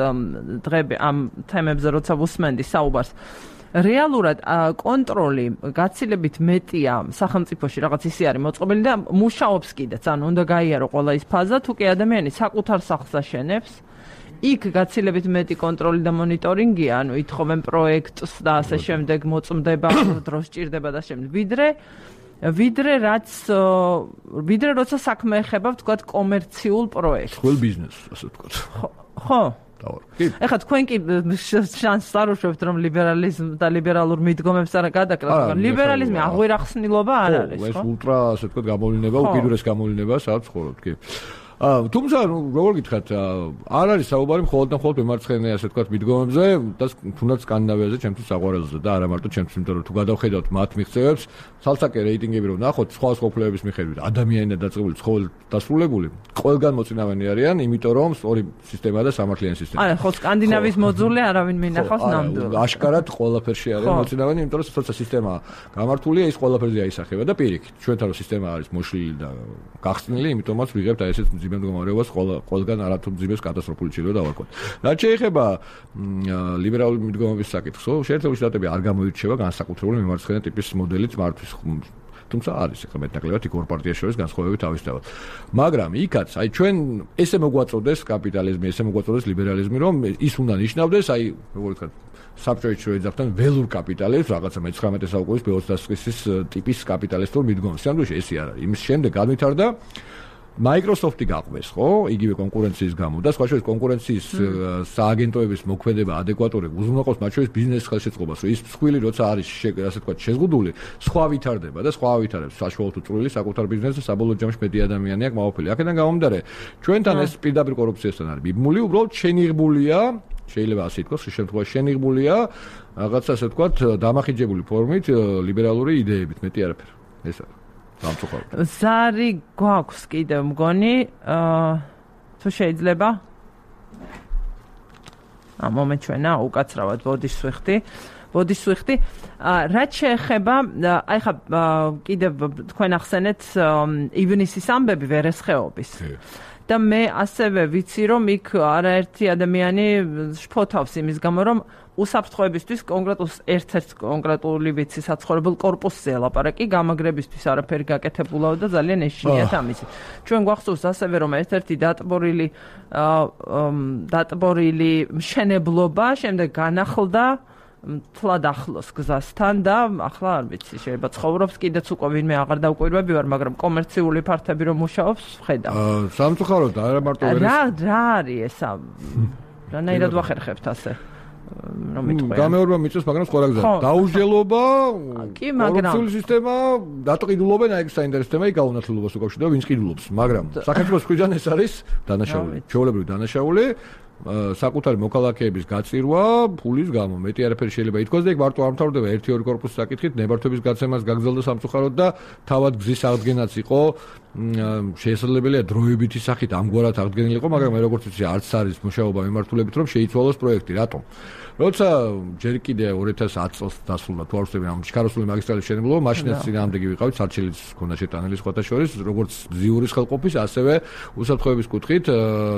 დღები ამ თემებზე, როცა ვუსმენდი საუბარს. რეალურად კონტროლი გაცილებით მეტია სახელმწიფოში, რაღაც ისე არის მოწყობილი და მუშაობს კიდეც, ანუ უნდა გაიარო ყველა ის ფაზა, თუ კი ადამიანი საკუთარ სახლს აშენებს. იქ გაცილებით მეტი კონტროლი და მონიტორინგია, ანუ ითხოვენ პროექტს და ასე შემდეგ მოწმდება, დროს ჭირდება და შემდეგ. ვიდრე როცა საქმე ეხება, ვთქვათ, კომერციულ პროექტს. ხელ ბიზნესს, ასე ვთქვათ. ხო. ეხლა თქვენ კი შანსს არ უშვებთ, რომ ლიბერალიზმ და ლიბერალურ მიდგომებს არ გადაკლათ, მაგრამ ლიბერალიზმი აღვირახსნილობა არ არის, ხო? ეს ულტრა, ასე ვთქვათ, გამოვლინება, უკიდურეს გამოვლინება, სადაც ხორობთ, კი. თუმცა როგორ გითხრათ, არ არის საუბარი მხოლოდ და მხოლოდ მემარცხენე ასე ვთქვათ მიდგომებზე და თუნდაც სკანდინავიაზე ჩემთვის საყვარელზე და არა მარტო ჩემთვის, იმიტომ რომ თუ გადავხედავთ მათ მიღწევებს, ცალსაკე რეიტინგები რომ ნახოთ სხვა სოფლების მიხედვით, ადამიანებად დაწყებული, ცხოველ დასრულებული, ყველგან მოწინავენი არიან, იმიტომ რომ სწორი სისტემა და სამართლიანი სისტემა. არა, ხო სკანდინავიის მოძულე არავინ მინახავს ნამდვილად. აშკარად ყველაფერში არიან მოწინავენი, იმიტომ რომ თორსა სისტემა გამართულია, ის ყველაფერზე აისახება და პირიქით, ჩვენთან რომ სისტემა არის მოშლილი და გახსნილი, იმიტომაც ვიღებთ აი ესეთ მძიმე მდგომარეობას ყველგან არათუ მძიმეს კატასტროფული ჭირდება დავარქვათ. რაც შეეხება ლიბერალური მიდგომების საკითხს, შეერთებული შტატები არ გამოირჩევა განსაკუთრებული მემარცხენე ტიპის მოდელით მართვის. თუმცა არის ახლა მეტნაკლებად იქ ორ პარტიას შორის განსხვავებები თავისთავად. მაგრამ იქაც აი ჩვენ ესე მოგვაწოდეს კაპიტალიზმი, ესე მოგვაწოდეს ლიბერალიზმი, რომ ის უნდა ნიშნავდეს, აი როგორ ვთქვათ, საბჭოებში რო ეძახდნენ ველურ კაპიტალებს, რაღაცა მე-19 საუკუნის ბეოსტასკის ტიპის კაპიტალისტურ მიდგომას. სამდროში ესე არ არის. იმის შემდეგ განვითარდა Microsoft-ი გაყვეს, ხო? იგივე კონკურენციის გამო და სხვა შორის კონკურენციის სააგენტოების მოქმედება ადეკვატური უზრუნველყოფს მათ შორის ბიზნეს ხელშეწყობას, რომ ის მსხვილი როცა არის ასე ვთქვათ შეზღუდული, სხვა ვითარდება და სხვა ვითარებს საშუალო თუ წვრილი საკუთარ ბიზნესს და საბოლოო ჯამში მეტი ადამიანია კმაყოფილი. აქედან გამომდინარე, ჩვენთან ეს პირდაპირ კორუფციასთან არის მიბმული, უბრალოდ შენიღბულია, შეიძლება ასე ითქვას, შემთხვევაში შენიღბულია რაღაცა ასე ვთქვათ დამახინჯებული ფორმით ლიბერალური იდეებით, მეტი არაფერი. ეს არის ზარი გვაქვს კიდევ მგონი თუ შეიძლება მომენტ ჩვენა უკაცრავად ბოდიშ სვიხტი რაც შეეხება აი ხა კიდევ თქვენ ახსენეთ ივნისის ამბები ვერესხეობის და მე ასევე ვიცი რომ იქ არაერთი ადამიანი შფოთავს იმის გამო რომ უსაფრთხოებისთვის ერთ-ერთ კონკრეტული ვიცი საცხოვრებელ კორპუსზე ლაპარაკი გამაგრებისთვის არაფერი გაკეთებულაო და ძალიან ეშინიათ ამისი. ჩვენ გვახსოვს ასევე რომ ერთ-ერთი დატბორილი მშენებლობა შემდეგ განახლდა თლად ახლოს გზასთან და ახლა არ ვიცი შეიძლება ცხოვრობს კიდეც უკვე ვინმე აღარ დაუკვირვები ვარ მაგრამ კომერციული ფართები რომ მუშაობს ვხედავ. სამწუხაროდ არა მარტო რა არის ესა რანაირად ვახერხებთ ასე გამეორება მიწევს მაგრამ სხვა გზა დაუჯელობა კორუფციული სისტემა დატყიდულობენ აი ეს საინტერესო თემა იქ გაუნათლულობას უკავშირდება ვინც ყიდულობს მაგრამ საქართველოს მხრიდან ეს არის დანაშაული ჩვეულებრივი დანაშაული საკუთარი მოქალაქეების გაწირვა ფულის გამო მეტი არაფერი შეიძლება ითქვას და იქ მარტო არ მთავრდება 1-2 კორპუსის საკითხით ნებართვების გაცემას გაგზელდა სამწუხაროდ და თავად გზის აღდგენაც იყო შესაძლებელია დროებითი სახით ამგვარად აღდგენილიყო მაგრამ მე როგორც ვიცი არც არის მუშაობა მიმართულებით რომ შეიცვალოს პროექტი რატომ როცა ჯერ კიდე 2010 წელს დასრულდა თუ არ ვცდები ამ ჩქაროსული მაგისტრალის მშენებლობა მაშინაც წინააღმდეგი ვიყავით სარჩელიც ჰქონდა შეტანილი სხვათა შორის როგორც ზიურის ხელყოფის ასევე უსაფრთხოების კუთხით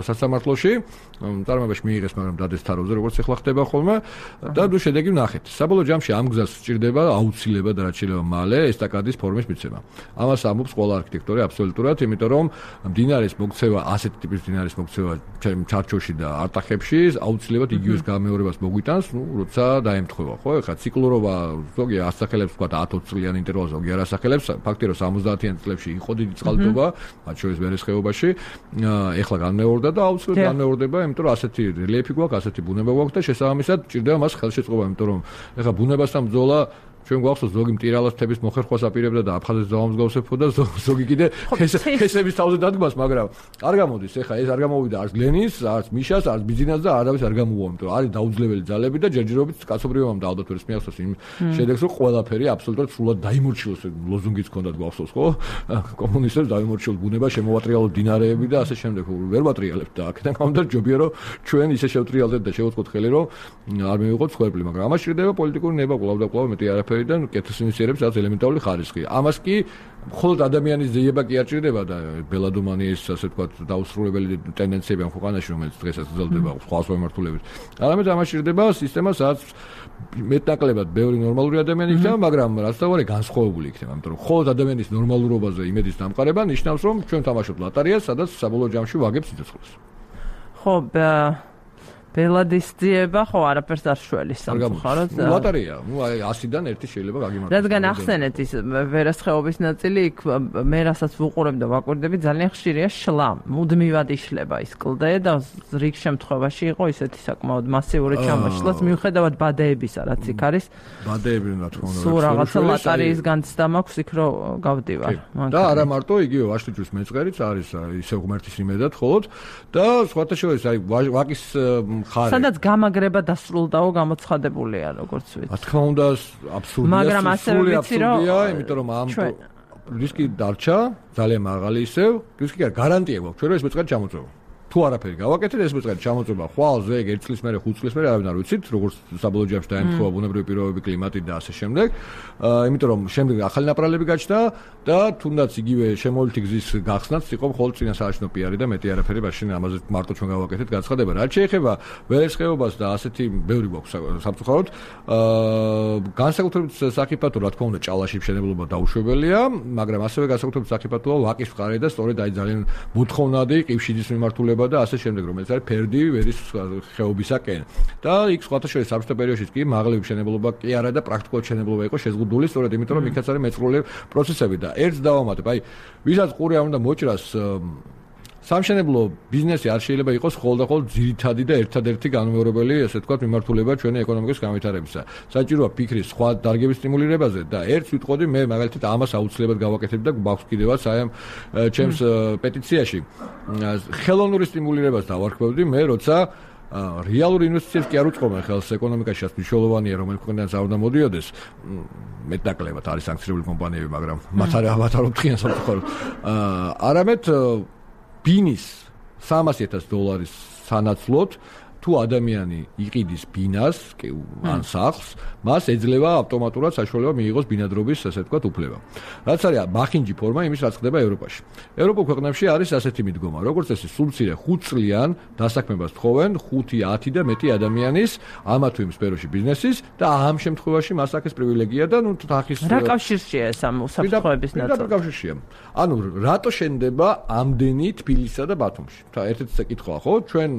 სასამართლოში წარმოებაში მიიღეს მაგრამ დადეს თაროზე როგორც ახლა ხდება ხოლმე და ნუ შედეგი ვნახეთ საბოლოო ჯამში ამ გზას სჭირდება აუცილებლად რაც შეიძლება მალე ესტაკადის ფორმის მიცემა ამას ამბობს ყველა არქიტექტორი აბსოლუტურად იმიტომ რომ მდინარის მოქცევა ასეთი ტიპის მდინარის მოქცევა ჩარჩოში და არტახებში აუცილებლად იგივეს გამეორებას მოგვიტანს ნუ როცა დაემთხვევა ხო ეხლა ციკლურობა ზოგი ასახელებს თქვა 10-20 წლიანი ინტერვალზე ზოგი არ ასახელებს ფაქტია რომ 70-იან წლებში იყო დიდი წყალდობა მათ შორის ვერესხეობაში ეხლა განმეორდა და აუცილებლად განმეორდება იმიტომ რომ ასეთი რელიეფი გვაქვს ასეთი ბუნება გვაქვს და შესაბამისად ჭირდება მას ხელშეწყობა იმიტომ რომ ეხლა ბუნებასთან ბრძოლა ჩვენ გვახსოვს ზოგი მტირალას თების მოხერხვას აპირებდა და აფხაზეთს დაამსგავსებოდა ზოგი კიდე ხესების თავზე დადგმას მაგრამ არ გამოდის ეხლა ეს არ გამოვიდა არც გლენის არც მიშას არც ბიზინას და არავის არ გამოუვა იმიტომ რომ არის დაუძლეველი ძალები და ჯერჯერობით კაცობრიობამ და ალბათ ვერც მიახსოვს იმ შედეგს რომ ყველაფერი აბსოლუტურად სრულად დაიმორჩილოს ლოზუნგიც ჰქონდათ გვახსოვს ხო კომუნისტებს დაიმორჩილოს ბუნება შემოვატრიალოთ დინარეები და ასე შემდეგ ვერ ვატრიალებთ და აქედან გამომდინარე ჯობია რომ ჩვენ ისე შევტრიალდეთ და შევუწყოთ ხელი რომ არ მივიღოთ სხერფლი მაგრამ ამას შეიძლება პოლიტიკური ნება კვლავ და კვლავ მეტი არაფერი და კეთილ ინიციატივებს რაც ელემენტარული ხარისხი. ამას კი მხოლოდ ადამიანის ძიება კი არ ჭირდება და ბელადომანიის ასე ვთქვათ დაუსრულებელი ტენდენციები ამ ქვეყანაში რომელიც დღესაც გრძელდება სხვა მიმართულებით. არამედ ამას ჭირდება სისტემა სადაც მეტნაკლებად ბევრი ნორმალური ადამიანი იქნება, მაგრამ რაც თავარი განსხვავებული იქნება, იმიტომ რომ მხოლოდ ადამიანის ნორმალურობაზე იმედის დამყარება ნიშნავს რომ ჩვენ თამაშობთ ლოტარიას, სადაც საბოლოო ჯამში ვაგებს სიცოცხლეს. ხო, ბელადის ძიება ხო არაფერს არ შველის სამწუხაროდ ლოტარია ნუ აი 100-დან ერთი შეიძლება გაგიმართოს რადგან ახსენეთ ის ვერასხეობის ნაწილი იქ მე რასაც ვუყურებ და ვაკვირდები ძალიან ხშირია შლა მუდმივად იშლება ის კლდე და რიგ შემთხვევაში იყო ისეთი საკმაოდ მასიური ჩამოშლაც მიუხედავად ბადეებისა რაც იქ არის ბადეები რა თქმა უნდა სულ რაღაცა ლოტარიის განცდა მაქვს იქ რომ გავდივარ და არა მარტო იგივე ვაშლიჯვის მეწყერიც არის ისე ღმერთის იმედად ხოლოდ და სხვათა შორის აი ვაკის სადაც გამაგრება დასრულდაო გამოცხადებულია როგორც ვიცი. რა თქმა უნდა აბსურდია. მაგრამ ასევე ვიცი რომ იმიტომ რომ ამ რისკი დარჩა ძალიან მაღალი ისევ, რისკი გარანტია გვაქვს ჩვენ რომ ეს მეწყერი ჩამოწევა. თუ არაფერი გავაკეთეთ ეს მეწყერი ჩამოწევა ხვალზე 1 წლის მერე 5 წლის მერე არავინ არ ვიცით როგორც საბოლოო ჯამში დაემთხვევა ბუნებრივი პირობები კლიმატი და ასე შემდეგ. იმიტომ რომ შემდეგ ახალი ნაპრალები გაჩნდა და თუნდაც იგივე შემოვლითი გზის გახსნაც იყო მხოლოდ წინა საარჩევნო პიარი და მეტი არაფერი მაშინ ამაზე მარტო ჩვენ გავაკეთეთ განცხადება. რაც შეეხება ვერესხეობას და ასეთი ბევრი გვაქვს სამწუხაროდ განსაკუთრებით საფრთხო რა თქმა უნდა ჭალაში მშენებლობა დაუშვებელია, მაგრამ ასევე განსაკუთრებით საფრთხოა ვაკის მხარე და სწორედ აი ძალიან მოთხოვნადი ყივშიძის მიმართულება მუშაობა და ასე შემდეგ, რომელიც არის ფერდი ვერის ხეობისაკენ. და იქ სხვათა შორის საბჭოთა პერიოდში კი მაღალი მშენებლობა კი არა და პრაქტიკულად მშენებლობა იყო შეზღუდული, სწორედ იმიტომ რომ იქაც არის მეწყრული პროცესები და ერთს დავამატებ, აი ვისაც ყური არ უნდა მოჭრას სამშენებლო ბიზნესი არ შეიძლება იყოს ხოლმე ძირითადი და ერთადერთი განმეორებელი, ასე ვთქვათ, მიმართულება ჩვენი ეკონომიკის განვითარებისა. საჭიროა ფიქრის სხვა დარგების სტიმულირებაზე და ერთს ვიტყოდი, მე მაგალითად ამას აუცილებლად გავაკეთებ და გვაქვს კიდევაც აი ამ ჩემს პეტიციაში ხელოვნური სტიმულირებას დავარქმევდი მე, როცა რეალური ინვესტიციებს კი არ უწყობენ ხელს ეკონომიკაში, მნიშვნელოვანია, რომელიც ქვეყნიდან არ უნდა მოდიოდეს. მეტნაკლებად არის სანქცირებული კომპანიები, მაგრამ მათ არ ოფთქიან სამწუხაროდ. არამედ ბინის $300,000 სანაცვლოდ თუ ადამიანი იყიდის ბინას, ან სახლს, მას ეძლევა ავტომატურად საშუალება მიიღოს ბინადრობის, ასე ვთქვათ, უფლება. რაც არის მახინჯი ფორმა იმის, რაც ხდება ევროპაში. ევროპულ ქვეყნებში არის ასეთი მიდგომა, როგორც წესი, სულ მცირე 5 წლიან დასაქმებას თხოვენ 5-10 და მეტი ადამიანის ამა თუ იმ სფეროში ბიზნესის და ამ შემთხვევაში მას აქვს პრივილეგია და თახის რა კავშირშია ეს ამ უსაფრთხოების ნაწილი? კავშირშია. ანუ რატო შენდება ამდენი თბილისსა და ბათუმში? ერთ-ერთი საკითხია, ხო? ჩვენ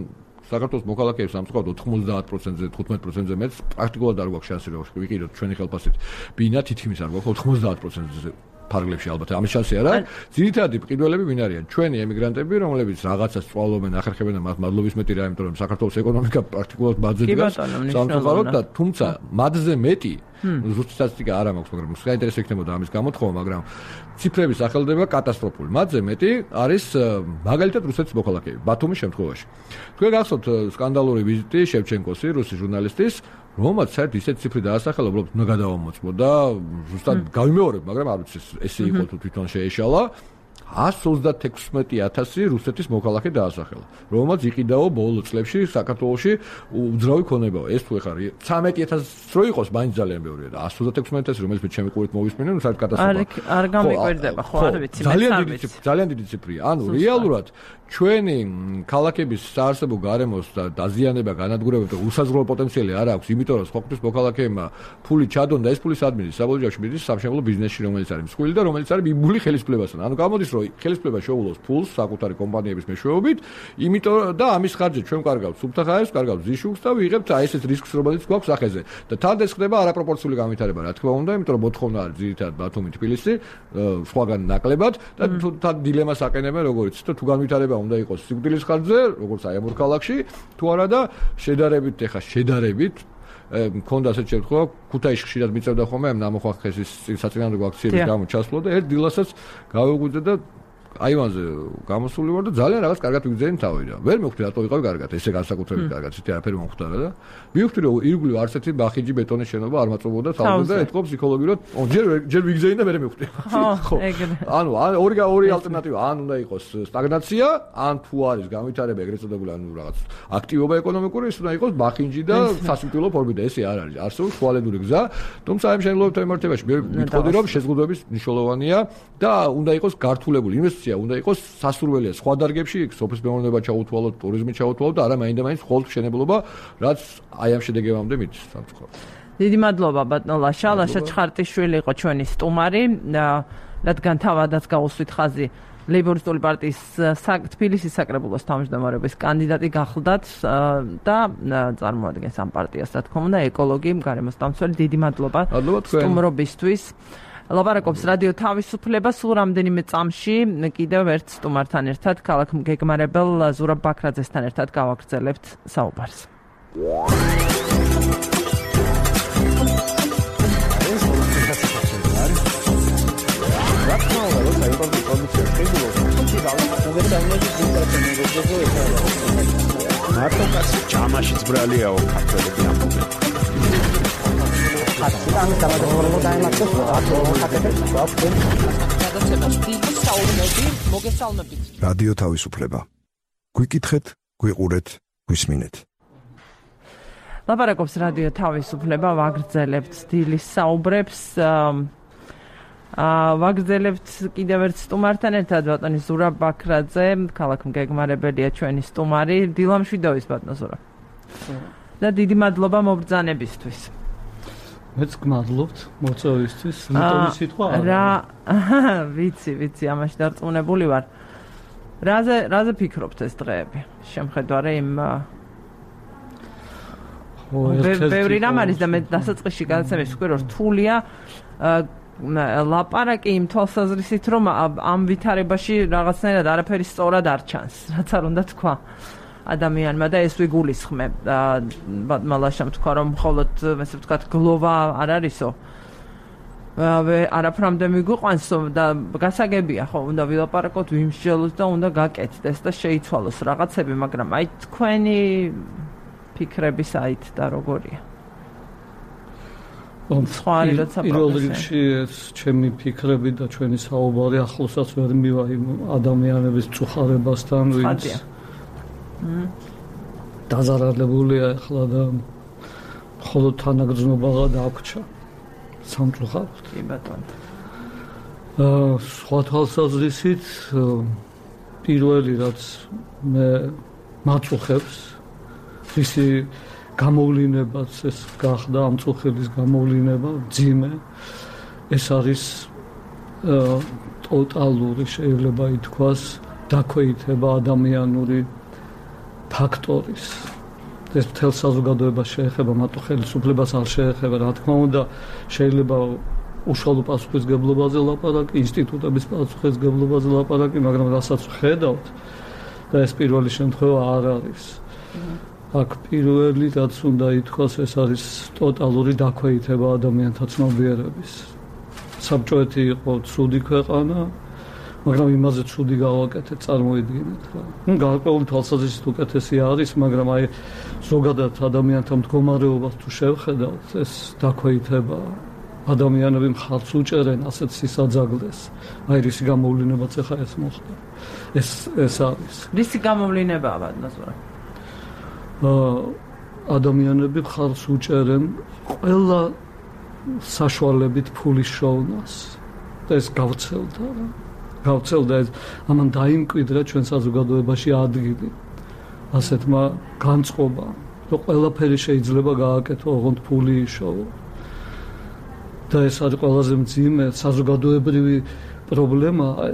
საქართველოს მოქალაქეებს სამწუხაროდ 90%-ზე, 15%-ზე მეტ პრაქტიკულად არ გვაქვს შანსი რომ ვიყიდოთ ჩვენი ხელფასით ბინა, თითქმის არ გვაქვს 90%-ზე ფარგლებში ალბათ ამის შანსი არ არის. ძირითადი მყიდველები ვინ არიან? ჩვენი ემიგრანტები, რომლებიც რაღაცას სწავლობენ, ახერხებენ და მათ მადლობის მეტი რა, იმიტომ რომ საქართველოს ეკონომიკა პრაქტიკულად ბაძზე დგას. სამწუხაროდ და თუმცა მათზე მეტი ზუსტი სტატისტიკა არ მაქვს, მაგრამ საინტერესო იქნებოდა ამის გამოთხოვა, მაგრამ ციფრები სახელდება კატასტროფული. მათზე მეტი არის მაგალითად რუსეთის მოქალაქეები, ბათუმის შემთხვევაში. თქვენ გახსოვთ სკანდალური ვიზიტი შევჩენკოსი, რუსი ჟურნალისტის, რომაც საერთოდ ისეთ ციფრი დაასახელა, უბრალოდ უნდა გადავამოწმო და ზუსტად გავიმეორებ, მაგრამ არ ვიცი ესე იყო თუ თვითონ შეეშალა. 136,000 რუსეთის მოქალაქე დაასახელა, რომელმაც იყიდაო ბოლო წლებში საქართველოში უძრავი ქონებაო. ეს თუ ეხლა 13,000 რო იყოს, მაინც ძალიან ბევრია და 136,000, რომელიც მე ჩემი ყურით მოვისმინე, ნუ საერთოდ კატასტროფა. არ გამიკვირდება, ხო, არ ვიცი, ძალიან დიდი ციფრია. ანუ რეალურად ჩვენი ქალაქების საარსებო გარემოს და დაზიანება, განადგურება და უსაზღვრო პოტენციალი არ აქვს, იმიტომ რომ სხვაგვრის მოქალაქეებმა ფული ჩადონ და ეს ფული სად მიდის? საბოლოოში მიდის სამშენებლო ბიზნესში, რომელიც არის მსხვილი და რომელიც არის მიბული ხელისფლებასთან. ანუ გამოდის რომ ხელისფლება შეულოს ფულს საკუთარი კომპანიების მეშვეობით, იმიტომ და ამის ხარჯზე ჩვენ კარგავთ სუბთახაებს, კარგავთ ზიშუქს და ვიღებთ აი ესეთ რისკს, რომელიც გვაქვს სახეზე. და თან ეს ხდება არაპროპორციული განვითარება, რა თქმა უნდა, იმიტომ რომ მოთხოვნა არის ძირითადად ბათუმი, თბილისი, სხვაგან ნაკლებად და თან დილემას აყენებენ როგორც და თუ განვითარება უნდა იყოს სიკვდილის ხარჯზე, როგორც აი ამ ორ ქალაქში, თუ არა და შედარებით მქონდა ასეთ შემთხვევა, ქუთაისში ხშირად მიწევდა ხოლმე ამ ნამოხვახეს საწინააღმდეგო აქციების გამო ჩასვლა და ერთ დილასაც გავეღვიძე და აივანზე გამოსული ვარ და ძალიან რაღაც კარგად ვიგზავნე თავი და ვერ მივხვდი რატო ვიყავი კარგად, ესე განსაკუთრებით კარგად, ისეთი არაფერი მომხვდარა და მივხვდი რომ ირგვლივ არც ერთი ბახიჯი ბეტონის შენობა არ მაწვებოდა თავზე და ეთქო ფსიქოლოგიურად, ჯერ ვიგზავნე და მე მივხვდი. ხო, ეგრე. ანუ ორი ალტერნატივა, ან უნდა იყოს სტაგნაცია, ან თუ არის განვითარება ეგრეთ წოდებული, ანუ რაღაც აქტივობა ეკონომიკური, ის უნდა იყოს ბახინჯი და სასიკვდილო ფორმით და ესე არ არის. არსებობს ხვალედური გზა, თუმცა ამ შემთხვევაში მიმართებაში მე ვიტყოდი რომ შეზღუდვების მნიშვნელოვანია და უნდა იყოს გართულებული ინვესტიცია უნდა იყოს სასურველია სხვა დარგებში, სოფლის მეურნეობა ჩაუთვალოთ, ტურიზმი ჩაუთვალოთ და არა მაინდა-მაინც მხოლოდ მშენებლობა, რაც აი ამ შედეგებამდე მიდის სამწუხაროდ. დიდი მადლობა ბატონ ლაშა, ლაშა ჩხარტიშვილი იყო ჩვენი სტუმარი, რადგან თავადაც გაუსვით ხაზი ლეიბორისტული პარტიის თბილისის საკრებულოს თავმჯდომარეობის კანდიდატი გახლდათ და წარმოადგენს ამ პარტიას, რა თქმა უნდა, ეკოლოგი, გარემოსდამცველი. დიდი მადლობა სტუმრობისთვის. ლაპარაკობს რადიო თავისუფლება, სულ რამდენიმე წამში კიდევ ერთ სტუმართან ერთად, ქალაქ გეგმარებელ ზურაბ ბაქრაძესთან ერთად გავაგრძელებთ საუბარს. მარტო ჯამაში ძბრალიაო ქართველები ამბობენ. რადიო თავისუფლება. გვიკითხეთ, გვიყურეთ, გვისმინეთ. ლაპარაკობს რადიო თავისუფლება, ვაგრძელებთ დილის საუბრებს. ვაგრძელებთ კიდევ ერთ სტუმართან ერთად, ბატონი ზურაბ ბაქრაძე, ქალაქ გეგმარებელია ჩვენი სტუმარი, დილამშვიდობის ბატონო ზურაბ. და დიდი მადლობა მობრძანებისთვის. მეც გმადლობთ მოწვევისთვის, მეტომი სიტყვა არა. ვიცი, ამაში დარწმუნებული ვარ. რაზე ფიქრობთ ეს დღეები? შემხედარე იმ ბევრი რამ არის და მე დასაწყისში გადაცემის ვქვი რომ რთულია ლაპარაკი იმ თვალსაზრისით რომ ამ ვითარებაში რაღაცნაირად არაფერი სწორად არ ჩანს, რაც არ უნდა თქვა ადამიანმა და ეს ვიგულისხმებ. მალაშამ თქვა რომ მხოლოდ ესე ვთქვათ გლოვა არ არისო. არაფრამდე მიგვიყვანს და გასაგებია ხო, უნდა ვილაპარაკოთ, ვიმსჯელოთ და უნდა გაკეთდეს და შეიცვალოს რაღაცები, მაგრამ აი თქვენი ფიქრები საით და როგორია? პირველ რიგში ეს ჩემი ფიქრები და ჩვენი საუბარი ახლოსაც ვერ მივა იმ ადამიანების წუხარებასთან, ვინც დაზარალებულია ახლა და მხოლოდ თანაგრძნობა დაგვჭა სამწუხაროდ. კი ბატონო. სხვა თვალსაზრისით პირველი რაც მე მაწუხებს ისი გამოვლინებაც ეს გახდა ამ წუხების გამოვლინება ძიმე ეს არის ტოტალური შეიძლება ითქვას დაქვეითება ადამიანური ფაქტორის ეს მთელ საზოგადოებას შეეხება მარტო ხელისუფლებას არ შეეხება რა თქმა უნდა შეიძლება უშუალო პასუხისგებლობაზე ლაპარაკი ინსტიტუტების პასუხისგებლობაზე ლაპარაკი მაგრამ რასაც ხედავთ და ეს პირველი შემთხვევა არ არის აქ პირველი რაც უნდა ითქვას ეს არის ტოტალური დაქვეითება ადამიანთა ცნობიერების საბჭოეთი იყო ცუდი ქვეყანა მაგრამ იმაზე ცუდი გავაკეთეთ წარმოიდგინეთ რა ნუ გარკვეული თვალსაზრისით უკეთესი არის მაგრამ აი ზოგადად ადამიანთა მდგომარეობას თუ შევხედავთ ეს დაქვეითება ადამიანები მხარს უჭერენ ასეთ სისაძაგლეს აი რისი გამოვლინებაც ახლა ეს მოხდა ეს არის რისი გამოვლინებაა ბატონო ადამიანები მხარს უჭერენ ყველა საშუალებით ფულის შოვნას და ეს გავცელდა ეს ამან დაიმკვიდრა ჩვენ საზოგადოებაში ადგილი ასეთმა განწყობამ რომ ყველაფერი შეიძლება გააკეთო ოღონდ ფული იშოვო და ეს არის ყველაზე მძიმე საზოგადოებრივი პრობლემაა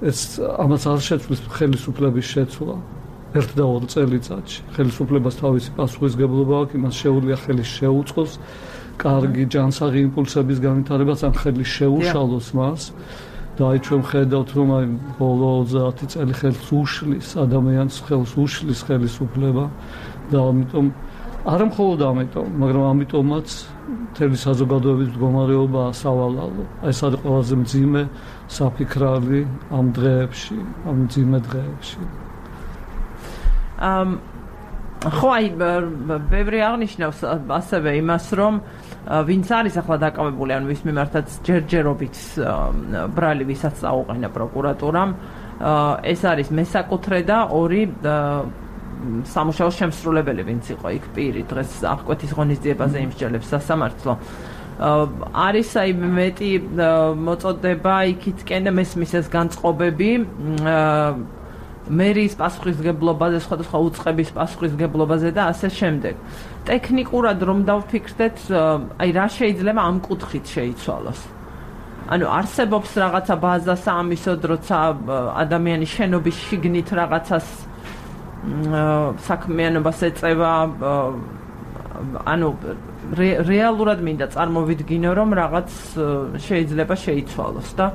ეს ამას არ შეცვლის ხელისუფლების შეცვლა 1 და 2 წელიწადში ხელისუფლებას თავისი პასუხისგებლობა აქვს იმას შეუძლია ხელი შეუწყოს კარგი ჯანსაღი იმპულსების განვითარებას ან ხელი შეუშალოს მას და აი ჩვენ ხედავთ რომ აი ბოლო 30 წელი ხელს უშლის ადამიანს ხელს უშლის ხელისუფლება და ამიტომ არა მხოლოდ ამიტომ მაგრამ ამიტომაც მთელი საზოგადოების მდგომარეობა სავალალო აი ეს არის ყველაზე მძიმე საფიქრალი ამ დღეებში ამ მძიმე დღეებში ხო აი ბევრი აღნიშნავს ასევე იმას რომ ვინც არის ახლა დაკავებული ან ვის მიმართაც ჯერჯერობით ბრალი ვისაც წაუყენა პროკურატურამ ეს არის მესაკუთრე და 2 სამუშაოს შემსრულებელი ვინც იყო იქ პირი დღეს აღკვეთის ღონისძიებაზე იმსჯელებს სასამართლო არის აი მეტი მოწოდება იქითკენ და მესმის ეს განწყობები მერის პასუხისგებლობაზე, სხვადასხვა უწყების პასუხისგებლობაზე და ასე შემდეგ. ტექნიკურად რომ დავფიქრდეთ, აი რა შეიძლება ამ კუთხით შეიცვალოს. ანუ არსებობს რაღაცა ბაზა საამისოდ, როცა ადამიანი შენობის შიგნით რაღაცას საქმიანობას ეწევა, ანუ რეალურად მინდა წარმოვიდგინო, რომ რაღაც შეიძლება შეიცვალოს და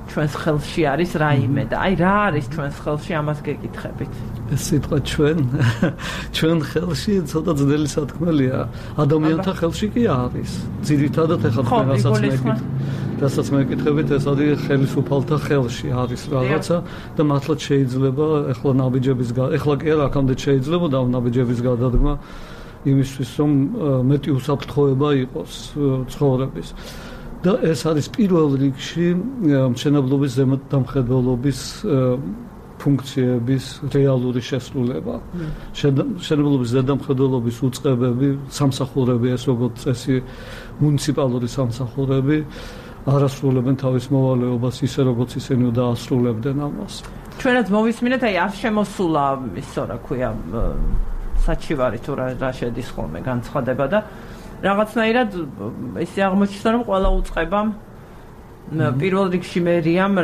ჩვენს ხელში არის რაიმე და აი რა არის ჩვენს ხელში ამას გეკითხებით. ეს სიტყვა ჩვენ ხელში ცოტა ძნელი სათქმელია. ადამიანთა ხელში კი არის. ძირითადად ეხლა რასაც მეკითხებით ეს არის ხელისუფალთა ხელში არის რაღაცა და მართლაც შეიძლება ეხლა ნაბიჯების ეხლა კი არა აქამდე შეიძლება და ნაბიჯების გადადგმა იმისთვის რომ მეტი უსაფრთხოება იყოს ცხოვრების. და ეს არის პირველ რიგში მშენებლობის ზემოდამხედველობის ფუნქციების რეალური შესრულება. მშენებლობის ზემოდამხედველობის უწყებები, სამსახურები, ეს როგორც წესი მუნიციპალური სამსახურები არასრულებენ თავის მოვალეობას ისე როგორც ისინი დაასრულებდნენ ამას. ჩვენაც მოვისმინეთ, აი არ შემოსულა ისო რა ქვია საჩივარი თუ რა შედის ხოლმე განცხადება და რაღაცნაირად ისე აღმოჩნდა რომ ყველა უწყებამ პირველ რიგში მერიამ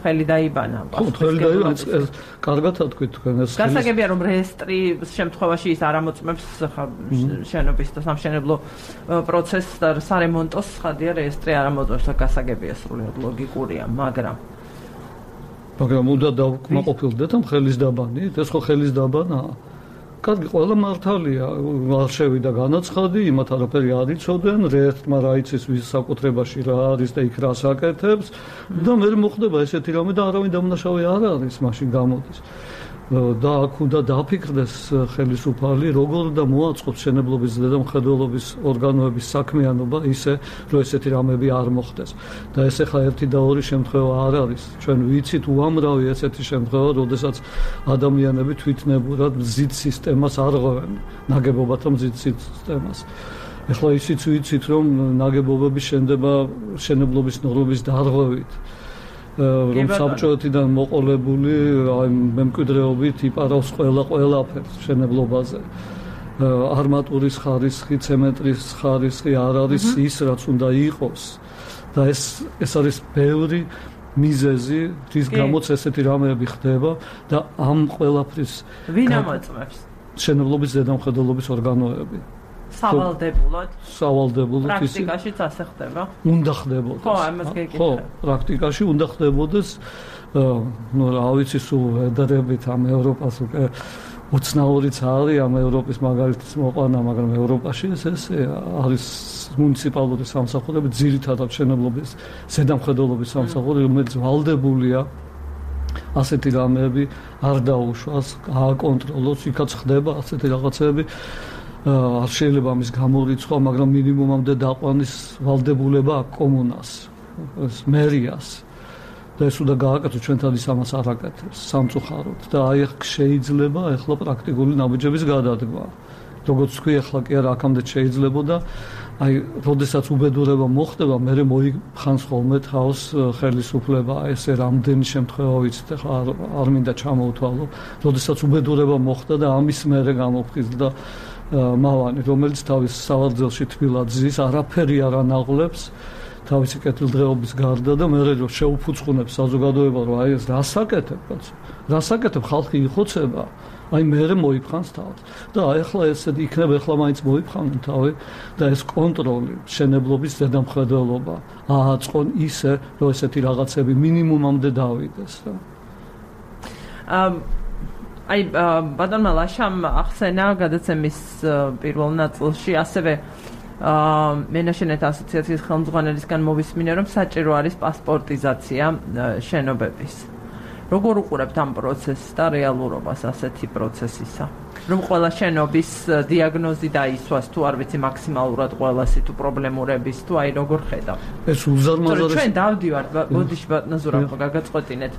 ხელი დაიბანა. ხო, ხელი დაიბანა. კარგად თქვით თქვენ ეს. გასაგებია რომ რეესტრის შემთხვევაში ის არ ამოწმებს შენობის და სამშენებლო პროცესს და სარემონტოს ხადია რეესტრი არ ამოწმებს და გასაგებია სრულიად ლოგიკურია, მაგრამ უნდა დავკმაყოფილდეთ ამ ხელის დაბანით, ეს ხო ხელის დაბანაა. კარგი, ყველა მართალია, არ შევიდა განაცხადი, იმათ არაფერი არ იცოდნენ, რეესტრმა რა იცის ვის საკუთრებაში რა არის და იქ რას აკეთებს და მე მოხდება ესეთი რამე და არავინ დამნაშავე არ არის, მაშინ გამოდის. და აქ უნდა დაფიქრდეს ხელისუფალი, როგორ და მოაწყობს შენებლობის ზედამხედველობის ორგანოების საქმიანობა ისე, რომ ესეთი რამები არ მოხდეს. და ეს ახლა ერთი და ორი შემთხვევა არ არის. ჩვენ ვიცით უამრავი ესეთი შემთხვევა, როდესაც ადამიანები თვითნებურად მზით სისტემას არღვევენ, ნაგებობათა მზით სისტემას. ახლა ისიც ვიცით, რომ ნაგებობები შენდება შენებლობის ნორმების დარღვევით. რომ საბჭოთიდან მოყოლებული მემკვიდრეობით იპარავს ყველაფერს შენებლობაზე. არმატურის ხარისხი, ცემენტრის ხარისხი არ არის ის, რაც უნდა იყოს. და ეს არის ბევრი მიზეზი, რის გამოც ესეთი რამეები ხდება და ამ ყველაფრის ვინ ამოწმებს? შენებლობის ზედამხედველობის ორგანოები. სავალდებულოდ პრაქტიკაშიც ასე ხდება? უნდა ხდებოდეს. ხო, ამას გეკითხე. ხო, პრაქტიკაში უნდა ხდებოდეს. რა ვიცი, სულ ვედრებით ამ ევროპას უკვე უცნაურიც არის ამ ევროპის მაგალითის მოყვანა, მაგრამ ევროპაში ეს არის მუნიციპალური სამსახურები, ძირითადად შენებლობის ზედამხედველობის სამსახურები, რომელიც ვალდებულია ასეთი რამეები არ დაუშვას, ააკონტროლოს, იქაც ხდება ასეთი რაღაცები. არ შეიძლება ამის გამორიცხვა, მაგრამ მინიმუმამდე დაყვანის ვალდებულება აქვს კომუნას, მერიას. და ეს უნდა გააკეთოს, ჩვენთან ის ამას არ აკეთებს სამწუხაროდ. და აი შეიძლება ახლა პრაქტიკული ნაბიჯების გადადგმა. როგორც თქვი, ახლა კი არა აქამდე შეიძლებოდა, აი, როდესაც უბედურება მოხდება, მე მოიხანს ხოლმე თავს ხელისუფლება, ესე რამდენი შემთხვევა ვიცით, ახლა არ მინდა ჩამოვთვალო, როდესაც უბედურება მოხდა და ამის მერე გამოფხიზდა მავანი, რომელიც თავის სავარძელში თბილად ზის, არაფერი არ ანაღლებს თავისი კეთილდღეობის გარდა და მე რომ შეუფუძყუნებს საზოგადოება, რომ აი ეს რასაკეთებ, კაცო? რასაკეთებ, ხალხი იხოცება, აი მე მოიფხანს თავს. და აი ახლა ესე იქნება, ახლა მაინც მოიფხანენ თავი და ეს კონტროლი, შენებლობის ზედამხედველობა ააწყონ ისე, რომ ესეთი რაღაცები მინიმუმამდე დავიდეს რა. აი ბატონმა ლაშამ ახსენა გადაცემის პირველ ნაწილში ასევე მენაშენეთა ასოციაციის ხელმძღვანელისგან მოვისმინე, რომ საჭირო არის პასპორტიზაცია შენობების. როგორ უყურებთ ამ პროცესს და რეალურობას ასეთი პროცესისა? რომ ყველა შენობის დიაგნოზი დაისვას თუ არ ვიცი მაქსიმალურად ყველასი თუ პრობლემურების თუ აი როგორ ხედავ? ეს უზარმაზარი. ჩვენ დავდივართ, ბოდიში ბატონო გაგაწყვეტინეთ.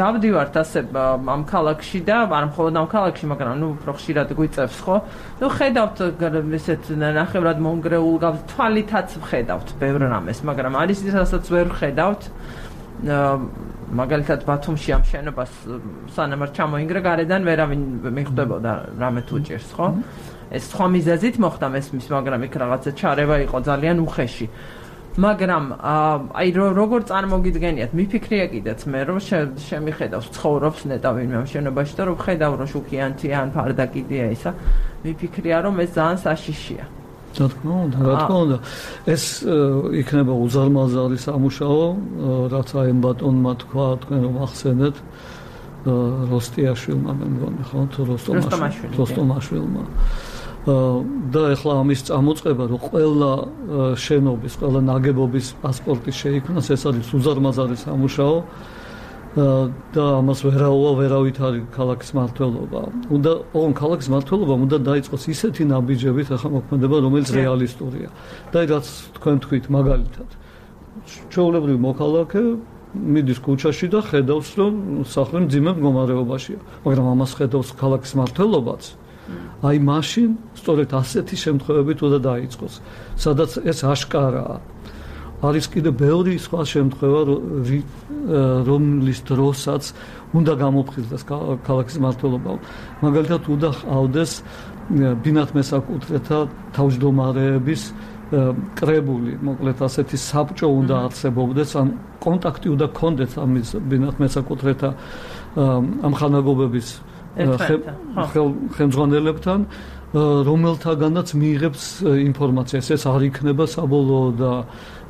დავდივართ ასე ამ ქალაქში და არ მხოლოდ ამ ქალაქში, მაგრამ ნუ უფრო ხშირად გვიწევს ხო? ნუ ხედავთ ესეთ ნახევრად მონგრეულ გავს თვალითაც ხედავთ ბევრ რამეს, მაგრამ არის ისაც ვერ ხედავთ. მაგალითად ბათუმში ამ შენობას სანამ არ ჩამოინგრა გარედან ვერავინ მიხვდებოდა რამე თუ ჭირს, ხო? ეს სხვა მიზეზით მოხდა მესმის, მაგრამ იქ რაღაცა ჩარევა იყო ძალიან უხეში. მაგრამ აი როგორ წარმოგიდგენიათ, მიფიქრია კიდეც მე რომ შემიხედავს ცხოვრობს ნეტავინმე ამ შენობაში და რომ ხედავ რომ შუქიანთია ან ფარდაკიდია ისა, მიფიქრია რომ ეს ძალიან საშიშია. რა თქმა უნდა, ეს იქნება უზარმაზარი სამუშაო, რაც აი ბატონმა თქვა, თქვენ რომ ახსენეთ როსტიაშვილმა, მე მგონი ხო, თუ როსტომაშვილმა. და ახლა ამის წამოწყება, რომ ყველა შენობის, ყველა ნაგებობის პასპორტი შეიქმნას, ეს არის უზარმაზარი სამუშაო. და ამას ვერავით არის ქალაქის მმართველობა. ოღონდ ქალაქის მმართველობამ უნდა დაიწყოს ისეთი ნაბიჯებით ახლა მოქმედება, რომელიც რეალისტურია. და რაც თქვენ თქვით, მაგალითად, ჩვეულებრივი მოქალაქე მიდის ქუჩაში და ხედავს, რომ სახლი მძიმე მდგომარეობაშია. მაგრამ ამას ხედავს ქალაქის მმართველობაც. აი მაშინ სწორედ ასეთი შემთხვევებით უნდა დაიწყოს, სადაც ეს აშკარაა. არის კიდე ბევრი სხვა შემთხვევა, რომლის დროსაც უნდა გამოფხიზდეს ქალაქის მმართველობამ. მაგალითად, უნდა ჰყავდეს ბინათ მესაკუთრეთა თავმჯდომარეების კრებული, მოკლედ ასეთი საბჭო უნდა არსებობდეს, ან კონტაქტი უნდა ქონდეს ამის ბინათ მესაკუთრეთა ამხანაგობების ხელმძღვანელებთან, რომელთაგანაც მიიღებს ინფორმაციას. ეს არ იქნება საბოლოო და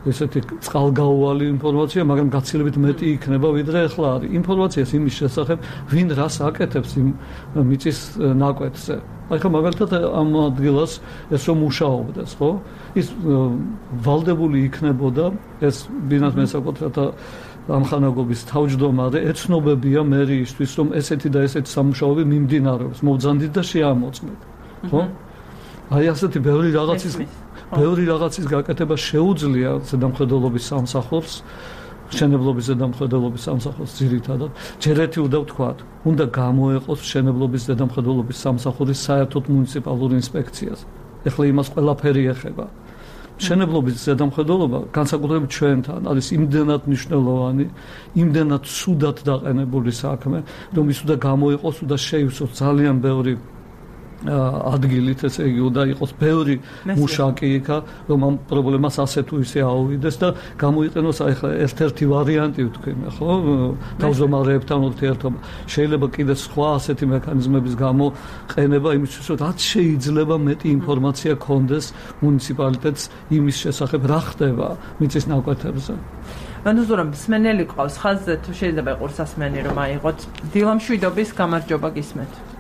ესეთი წყალგაუვალი ინფორმაცია, მაგრამ გაცილებით მეტი იქნება, ვიდრე ახლა არის. ინფორმაციას იმის შესახებ, ვინ რას აკეთებს იმ მიწის ნაკვეთზე. აი ხა მაგალითად ამ ადგილას ეს რომ მუშაობდეს, ხო? ის ვალდებული იქნებოდა ეს ბინათ მესაკუთრეთა ამხანაგობის თავმჯდომარე ეცნობებია მერიისთვის, რომ ესეთი და ესეთი სამუშაოები მიმდინარეობს, მოვძანდით და შეამოწმეთ. ხო? აი ასეთი ბევრი რაღაცის გაკეთება შეუძლია ზედამხედველობის სამსახურს, მშენებლობის ზედამხედველობის სამსახურს ძირითადად. ჯერ ერთი უნდა ვთქვათ, უნდა გამოეყოს მშენებლობის ზედამხედველობის სამსახურის საერთოდ მუნიციპალურ ინსპექციას. ეხლა იმას ყველაფერი ეხება. მშენებლობის ზედამხედველობა განსაკუთრებით ჩვენთან არის იმდენად მნიშვნელოვანი, იმდენად სუდად დაყენებული საქმე, რომ ის უნდა გამოეყოს, უნდა შეივსოს ძალიან ბევრი ადგილით, ესე იგი უნდა იყოს ბევრი მუშაკი იქა, რომ ამ პრობლემას ასე თუ ისე აუვიდეს და გამოიყენოს აი ხა ერთ-ერთი ვარიანტი ვთქვი, ხო? თავმჯდომარეებთან ურთიერთობა. შეიძლება კიდე სხვა ასეთი მექანიზმების გამოყენება იმისთვის, რომ რაც შეიძლება მეტი ინფორმაცია ქონდეს მუნიციპალიტეტს იმის შესახებ, რა ხდება მიწის ნაკვეთებზე. მანუზურამ მსმენელი ყავს ხაზზე, თუ შეიძლება იყოს სასმენი რომ აიღოთ. დილამშვიდობის გამარჯობა გისმენთ.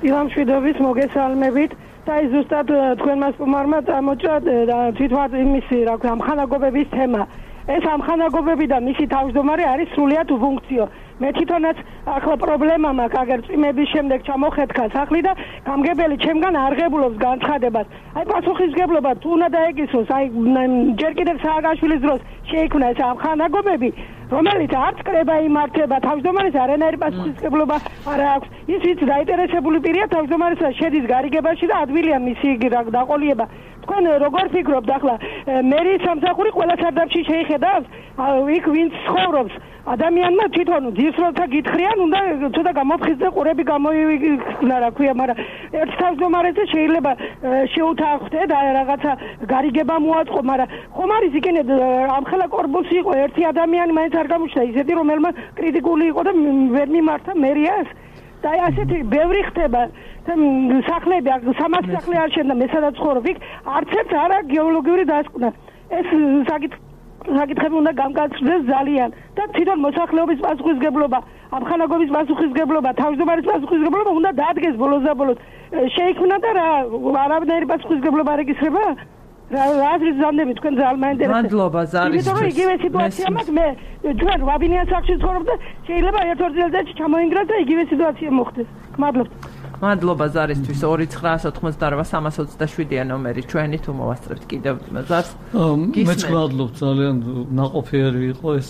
დილამშვიდობის მოგესალმებით და ზუსტად თქვენმა სტუმარმა წამოჭრა თვითონ იმისი რა ქვია ამხანაგობების თემა. ეს ამხანაგობები და მისი თავმჯდომარე არის სრულიად უფუნქციო. მე თვითონაც ახლა პრობლემა მაქვს, აგერ წვიმების შემდეგ ჩამოხეთქა სახლი და გამგებელი ჩემგან არღებულობს განცხადებას. აი პასუხისგებლობა თუ უნდა დაეგისოს, აი ჯერ კიდევ სააკაშვილის დროს შეიქმნა ეს ამხანაგობები, რომელიც არც კრება იმართება, თავმჯდომარეს არანაირი პასუხისგებლობა არ აქვს. ის ვინც დაინტერესებული პირია თავმჯდომარესა შედის გარიგებაში და ადვილია მისი დაყოლიება. თქვენ როგორ ფიქრობთ ახლა მერიის სამსახური ყველა სარდაფში შეიხედავს, იქ ვინც ცხოვრობს ადამიანმა თვითონ ძირსროლთა გითხრიან, უნდა ცოტა გამოფხიზდა ყურები გამოიქნა, რა ქვია, მაგრამ ერთ თავმჯდომარეზე შეიძლება შეუთანხმდე და რაღაცა გარიგება მოაწყო, მაგრამ ხომ არის იქნებ ამხელა კორპუსი იყო ერთი ადამიანი მაინც არ გამოჩნდა ისეთი, რომელმაც კრიტიკული იყო და ვერ მიმართა მერიას. და ასეთი ბევრი ხდება სახლები, 300 სახლი არ შენდა, მე სადაც ცხოვრობ, იქ არც ერთ არა გეოლოგიური დასკვნა. ეს საკითხები უნდა გამკაცრდეს ძალიან და თვითონ მოსახლეობის პასუხისგებლობა, ამხანაგობის პასუხისგებლობა, თავმჯდომარის პასუხისგებლობა უნდა დაადგეს ბოლოს და ბოლოს. შეიქმნა და რა არაბნაირი პასუხისგებლობა რეგისტრება? რაზეც ზანდები თქვენ ძალიან მაინტერესებს. მადლობა ზარის. იმიტომ რომ იგივე სიტუაცია მაქვს, მე ჩვენ ვაბინიან სახლში ცხოვრობ და შეიძლება ერთ-ორ წელიწადში ჩამოინგრას და იგივე სიტუაცია მოხდეს. მადლობა. მადლობა ზარისთვის. 2988-327-ია ნომერი ჩვენი, თუ მოვასწრებთ კიდევ ზარს. მეც მადლობ, ძალიან ნაყოფიერი იყო ეს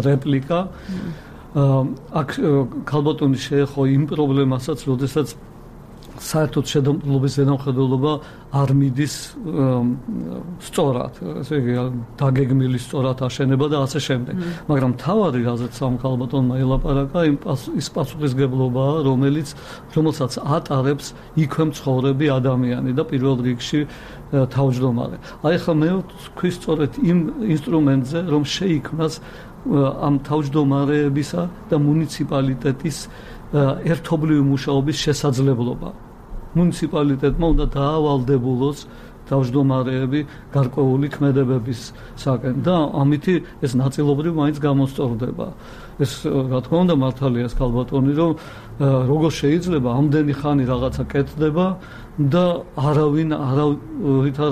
რეპლიკა. აქ ქალბატონი შეეხო იმ პრობლემასაც, როდესაც საერთოდ შედამყრობის ზედამხედველობა არ მიდის სწორად, ესე იგი დაგეგმილი სწორად აშენება და ასე შემდეგ. მაგრამ თავარი რაზეც ამ ქალბატონმა ელაპარაკა, ის პასუხისგებლობაა, რომელსაც ატარებს იქვე მცხოვრები ადამიანი და პირველ რიგში თავმჯდომარე. აი ხა მე ვთქვი სწორედ იმ ინსტრუმენტზე, რომ შეიქმნას ამ თავმჯდომარეებისა და მუნიციპალიტეტის ერთობლივი მუშაობის შესაძლებლობა. მუნიციპალიტეტმა უნდა დაავალდებულოს თავმჯდომარეები გარკვეული ქმედებებისაგან და ამითი ეს ნაწილობრივ მაინც გამოსწორდება. ეს რა თქმა უნდა მართალია ეს ქალბატონი, რომ როგორ შეიძლება ამდენი ხანი რაღაცა კეთდება და არავინ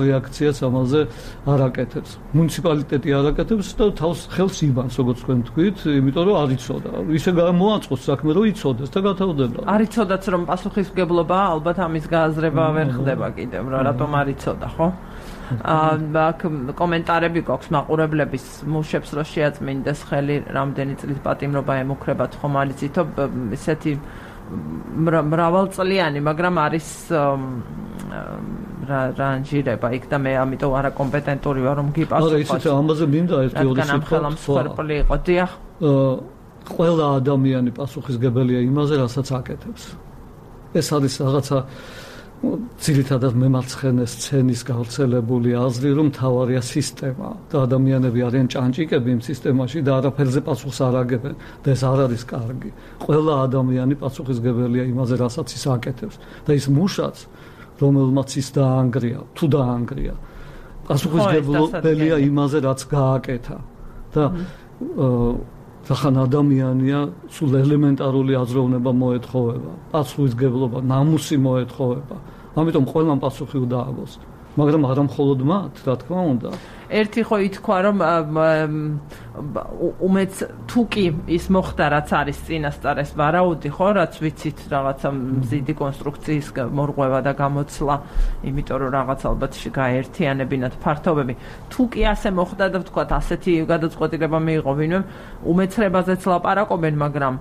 რეაქციას ამაზე არ აკეთებს. მუნიციპალიტეტი არ აკეთებს და თავს ხელს იბანს, როგორც თქვენ თქვით, იმიტომ რომ არ იცოდა. ისე გამოაწყოს საქმე, რომ იცოდეს და გათავდება. არ იცოდაც რომ პასუხისგებლობა ალბათ ამის გააზრება ვერ ხდება კიდევ, რატომ არ იცოდა, ხო? აქ კომენტარები გვაქვს მაყურებლების, მუშებს რო შეაწმინდეს ხელი, რამდენი წლის პატიმრობა ემუქრებათ, ხომ არ იცითო, ესეთი მრავალწლიანი, მაგრამ არის რანჟირება იქ და მე ამიტომ არაკომპეტენტური ვარ რომ გიპასუხოს. არა, ისეთი ამაზე მინდა ერთი-ორი სიტყვა. დიახ. ყველა ადამიანი პასუხისგებელია იმაზე, რასაც აკეთებს. ეს არის რაღაცა ძირითადად მემარცხენე სცენის გავრცელებული აზრი, რომ თავარია სისტემა და ადამიანები არიან ჭანჭიკები იმ სისტემაში და არაფერზე პასუხს არ აგებენ და ეს არ არის კარგი. ყველა ადამიანი პასუხისმგებელია იმაზე, რასაც ის აკეთებს და ის მუშაც, რომელმაც ის დაანგრია, თუ დაანგრია, პასუხისმგებელია იმაზე, რაც გააკეთა და ხან ადამიანია სულ ელემენტარული აზროვნება მოეთხოვება, პასუხისმგებლობა, ნამუსი მოეთხოვება. ამიტომ ყველამ პასუხი უნდა ააგოს, მაგრამ არა მხოლოდ მათ, რა თქმა უნდა. ერთი ხო ითქვა, რომ უმეც თუ კი ის მოხდა, რაც არის წინასწარ ეს ვარაუდი, ხო, რაც ვიცით, რაღაცა მზიდი კონსტრუქციის მორღვევა და გამოცლა, იმიტომ რომ რაღაც ალბათ გაერთიანებინათ ფართობები. თუ კი ასე მოხდა და ვთქვათ, ასეთი გადაწყვეტილება მიიღო ვინმე, უმეცრებაზეც ლაპარაკობენ, მაგრამ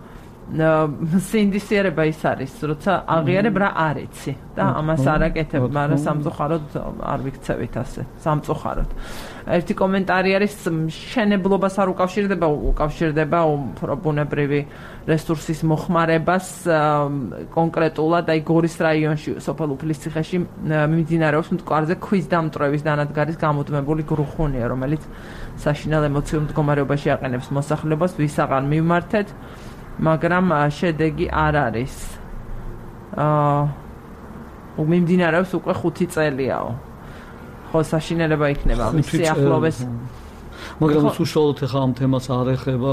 სინდისიერება ის არის, როცა აღიარებ რა არ იცი და ამას არ აკეთებ, მაგრამ სამწუხაროდ არ ვიქცევით ასე, სამწუხაროდ. ერთი კომენტარი არის, მშენებლობას არ უკავშირდება უფრო ბუნებრივი რესურსის მოხმარებას კონკრეტულად, აი გორის რაიონში, სოფელ უფლისციხეში მიმდინარეობს მტკვარზე ქვის დამტვრევის დანადგარის გამუდმებული გრუხუნია, რომელიც საშინელ ემოციურ მდგომარეობაში აყენებს მოსახლეობას, ვის აღარ მივმართეთ, მაგრამ შედეგი არ არის. მიმდინარეობს უკვე 5 წელიაო. ხო, საშინელება იქნება მის სიახლოვეს. მაგრამ უშუალოდ ახლა ამ თემას არ ეხება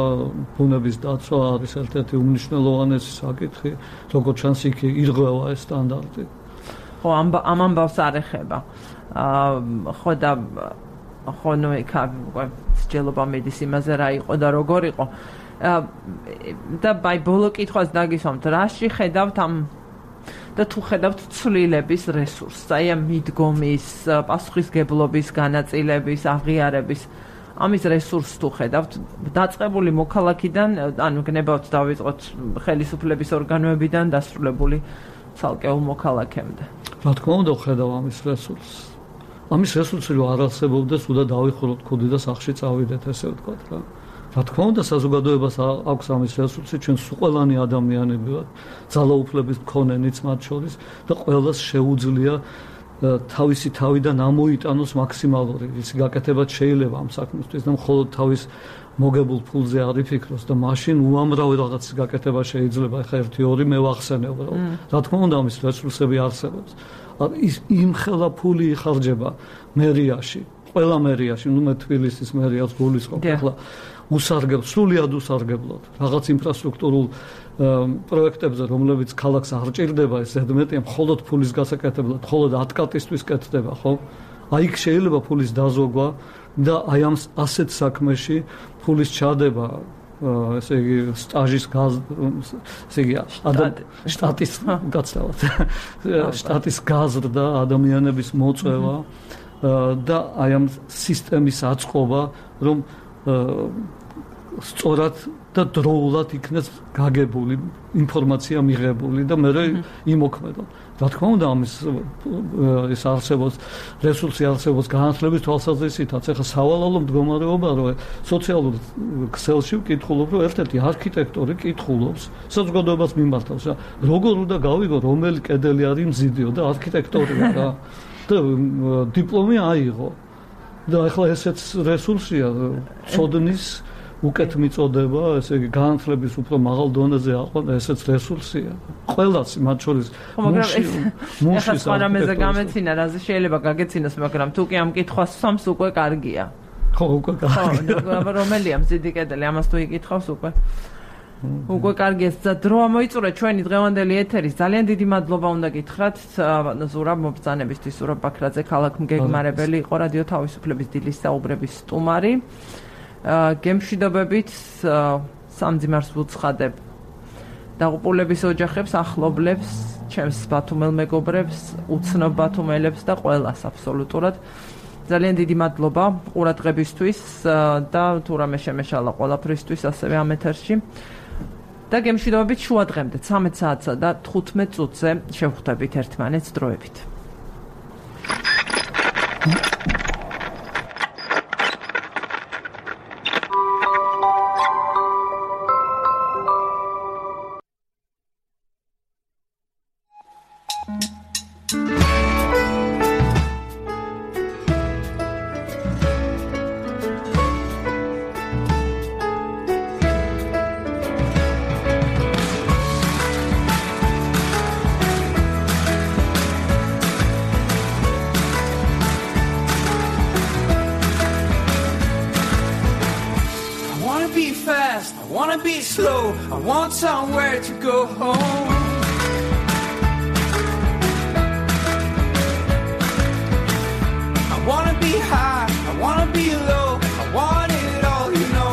ბუნების დაცვა არის ერთ-ერთი უმნიშვნელოვანესი საკითხი, როგორც ჩანს იქ ირღვევა ეს სტანდარტი. ხო, ამ ამბავს არ ეხება. ხო და ხო ნუ იქ სჯელობა მიდის იმაზე რა იყო და როგორ იყო. და ბაი ბოლო კითხვას დაგისვამთ, რაში ხედავთ ამ და თუ ხედავთ ცვლილების რესურსს, აი ამ მიდგომის, პასუხისმგებლობის, განაწილების, აღიარების, ამის რესურსს თუ ხედავთ, დაწყებული მოქალაქიდან, ანუ გნებავთ დავიწყოთ ხელისუფლების ორგანოებიდან დასრულებული ცალკეულ მოქალაქემდე. რა თქმა უნდა, ხედავ ამის რესურსს. ამის რესურსი რო არ არსებობდეს, უნდა დავიხუროთ ქუდი და სახლში წავიდეთ, ესე ვთქვათ რა. რა თქმა უნდა, საზოგადოებას აქვს ამის რესურსი, ჩვენ ყველანი ადამიანები ვართ, ძალაუფლების მქონენიც მათ შორის და ყველას შეუძლია თავისი თავიდან ამოიტანოს მაქსიმალური ისი გაკეთებაც შეიძლება ამ საქმისთვის და მხოლოდ თავის მოგებულ ფულზე არ იფიქროს და მაშინ უამრავი რაღაცის გაკეთება შეიძლება. ეხლა 1-2 მე ვახსენებ, რა თქმა უნდა, ამის რესურსები არსებობს. ის იმხელა ფული იხარჯება მერიაში, ყველა მერიაში, ნუ მე თბილისის მერიას გულისხმობ, ახლა სრულიად უსარგებლოდ რაღაც ინფრასტრუქტურულ პროექტებზე, რომლებიც ქალაქს არ ჭირდება, ეს ზედმეტია მხოლოდ ფულის გასაკეთებლად, მხოლოდ 10 კატისთვის კეთდება, ხო? აი იქ შეიძლება ფულის დაზოგვა და აი ამ ასეთ საქმეში ფულის ჩადება, ესე იგი სტაჟის ესე იგი შტატის გაცვლად, შტატის გაზრდა, ადამიანების მოწვევა და აი ამ სისტემის აწყობა, რომ სწორად და დროულად იქნეს გაგებული ინფორმაცია მიღებული და მე იმოქმედო. რა თქმა უნდა, ამის ეს არსებობს რესურსი არსებობს განათლების თვალსაზრისითაც. ახლა სავალალო მდგომარეობა, რომ სოციალურ ქსელში ვკითხულობ, რომ ერთ-ერთი არქიტექტორი კითხულობს საზოგადოებას მიმართავს, რა როგორ უნდა გავიგო, რომელი კედელი არის მზიდიო და არქიტექტორია რა და დიპლომი აიღო. და ახლა ესეც რესურსია, ცოდნის უკეთ მიწოდება, ესე იგი განათლების უფრო მაღალ დონეზე აყვანა, ესეც რესურსია. ყველას მათ შორის მუშის ახლა რამეზე გამეცინა, რაზე შეიძლება გაგეცინოს, მაგრამ თუ კი ამ კითხვას სვამს უკვე კარგია. ხო, უკვე კარგია. ხო, რომელია მზიდი კედელი, ამას თუ იკითხავს უკვე. უკვე კარგია, დრო მოიწურა ჩვენი დღევანდელი ეთერის. ძალიან დიდი მადლობა უნდა გითხრათ ზურაბ მობრძანებისთვის, ზურაბ ბაქრაძე, ქალაქ მგეგმარებელი იყო რადიო თავისუფლების დილის საუბრების სტუმარი. გემშვიდობებით სამძიმარს ვუცხადებ დაღუპულების ოჯახებს, ახლობლებს, ჩემს ბათუმელ მეგობრებს, უცნობ ბათუმელებს და ყველას აბსოლუტურად. ძალიან დიდი მადლობა ყურადღებისთვის და თუ რამე შემეშალა ყველაფრისთვის ასევე ამ ეთერში. და გემშვიდობებით შუა დღემდე 13 საათსა და 15 წუთზე შევხვდებით ერთმანეთს დროებით. fast, I wanna be slow, I want somewhere to go home. I wanna be high, I wanna be low, I want it all, you know.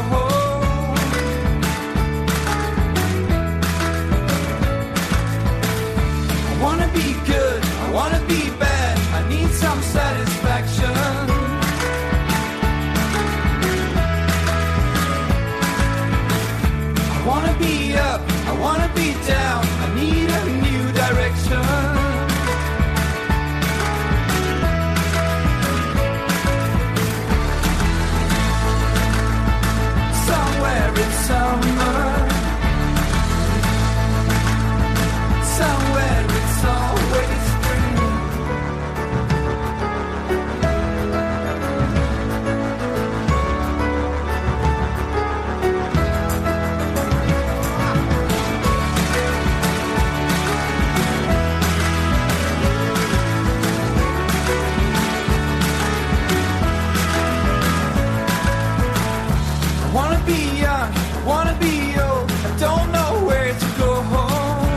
I wanna be good, I wanna be bad, I need some satisfaction. I wanna be up, I wanna be down, I need a new direction. Somewhere in summer, somewhere it's always spring. I wanna be young, I wanna be old, I don't know where to go home.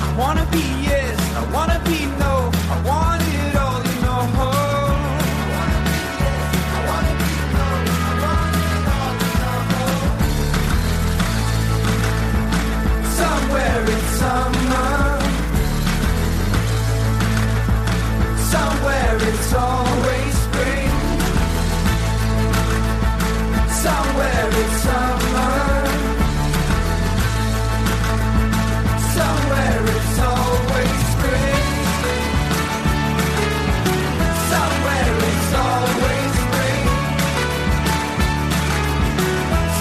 I wanna be yes, I wanna be no, I want it all, you know. Somewhere in summer, somewhere it's always spring. Somewhere it's summer, somewhere it's always spring. Somewhere it's always spring.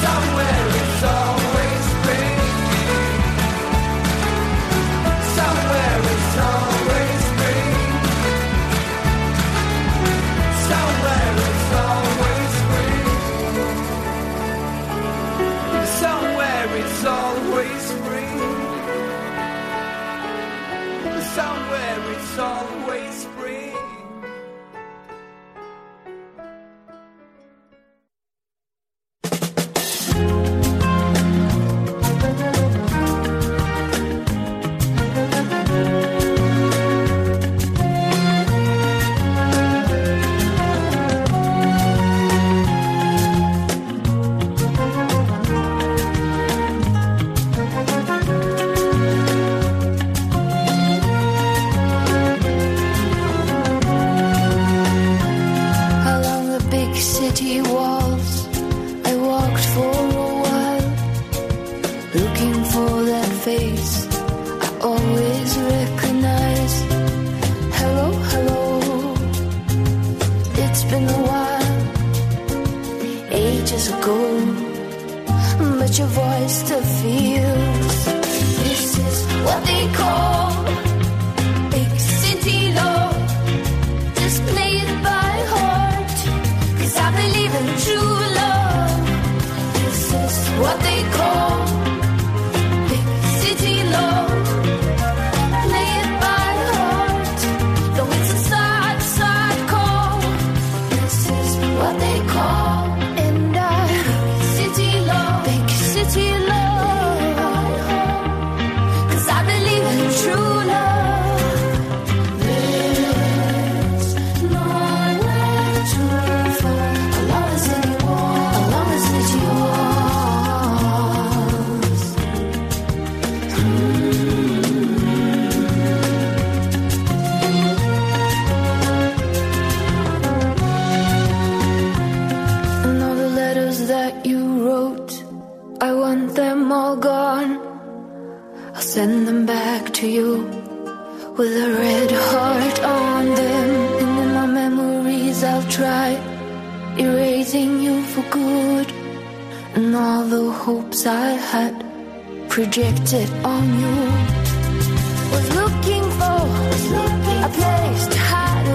Somewhere it's always spring. Somewhere it's always spring. Somewhere it's always spring. Somewhere it's always spring. Somewhere it's always spring. Along the big city walls, I walked for a while, looking for that face I always recognize. Hello, hello, it's been a while, ages ago, but your voice still feels. This is what they call big city love. Just play it by heart, 'cause I believe in true love. This is what they call big city love. Play it by heart, though it's a sad, sad call. This is what they call, and city love, big city love. 'Cause I believe in true love. There's nowhere to run along the city wall, along the city walls. And all the letters that you wrote, I want them all gone. I'll send them back to you with a red heart on them. And in my memories I'll try erasing you for good. And all the hopes I had projected on you was looking for a place to hide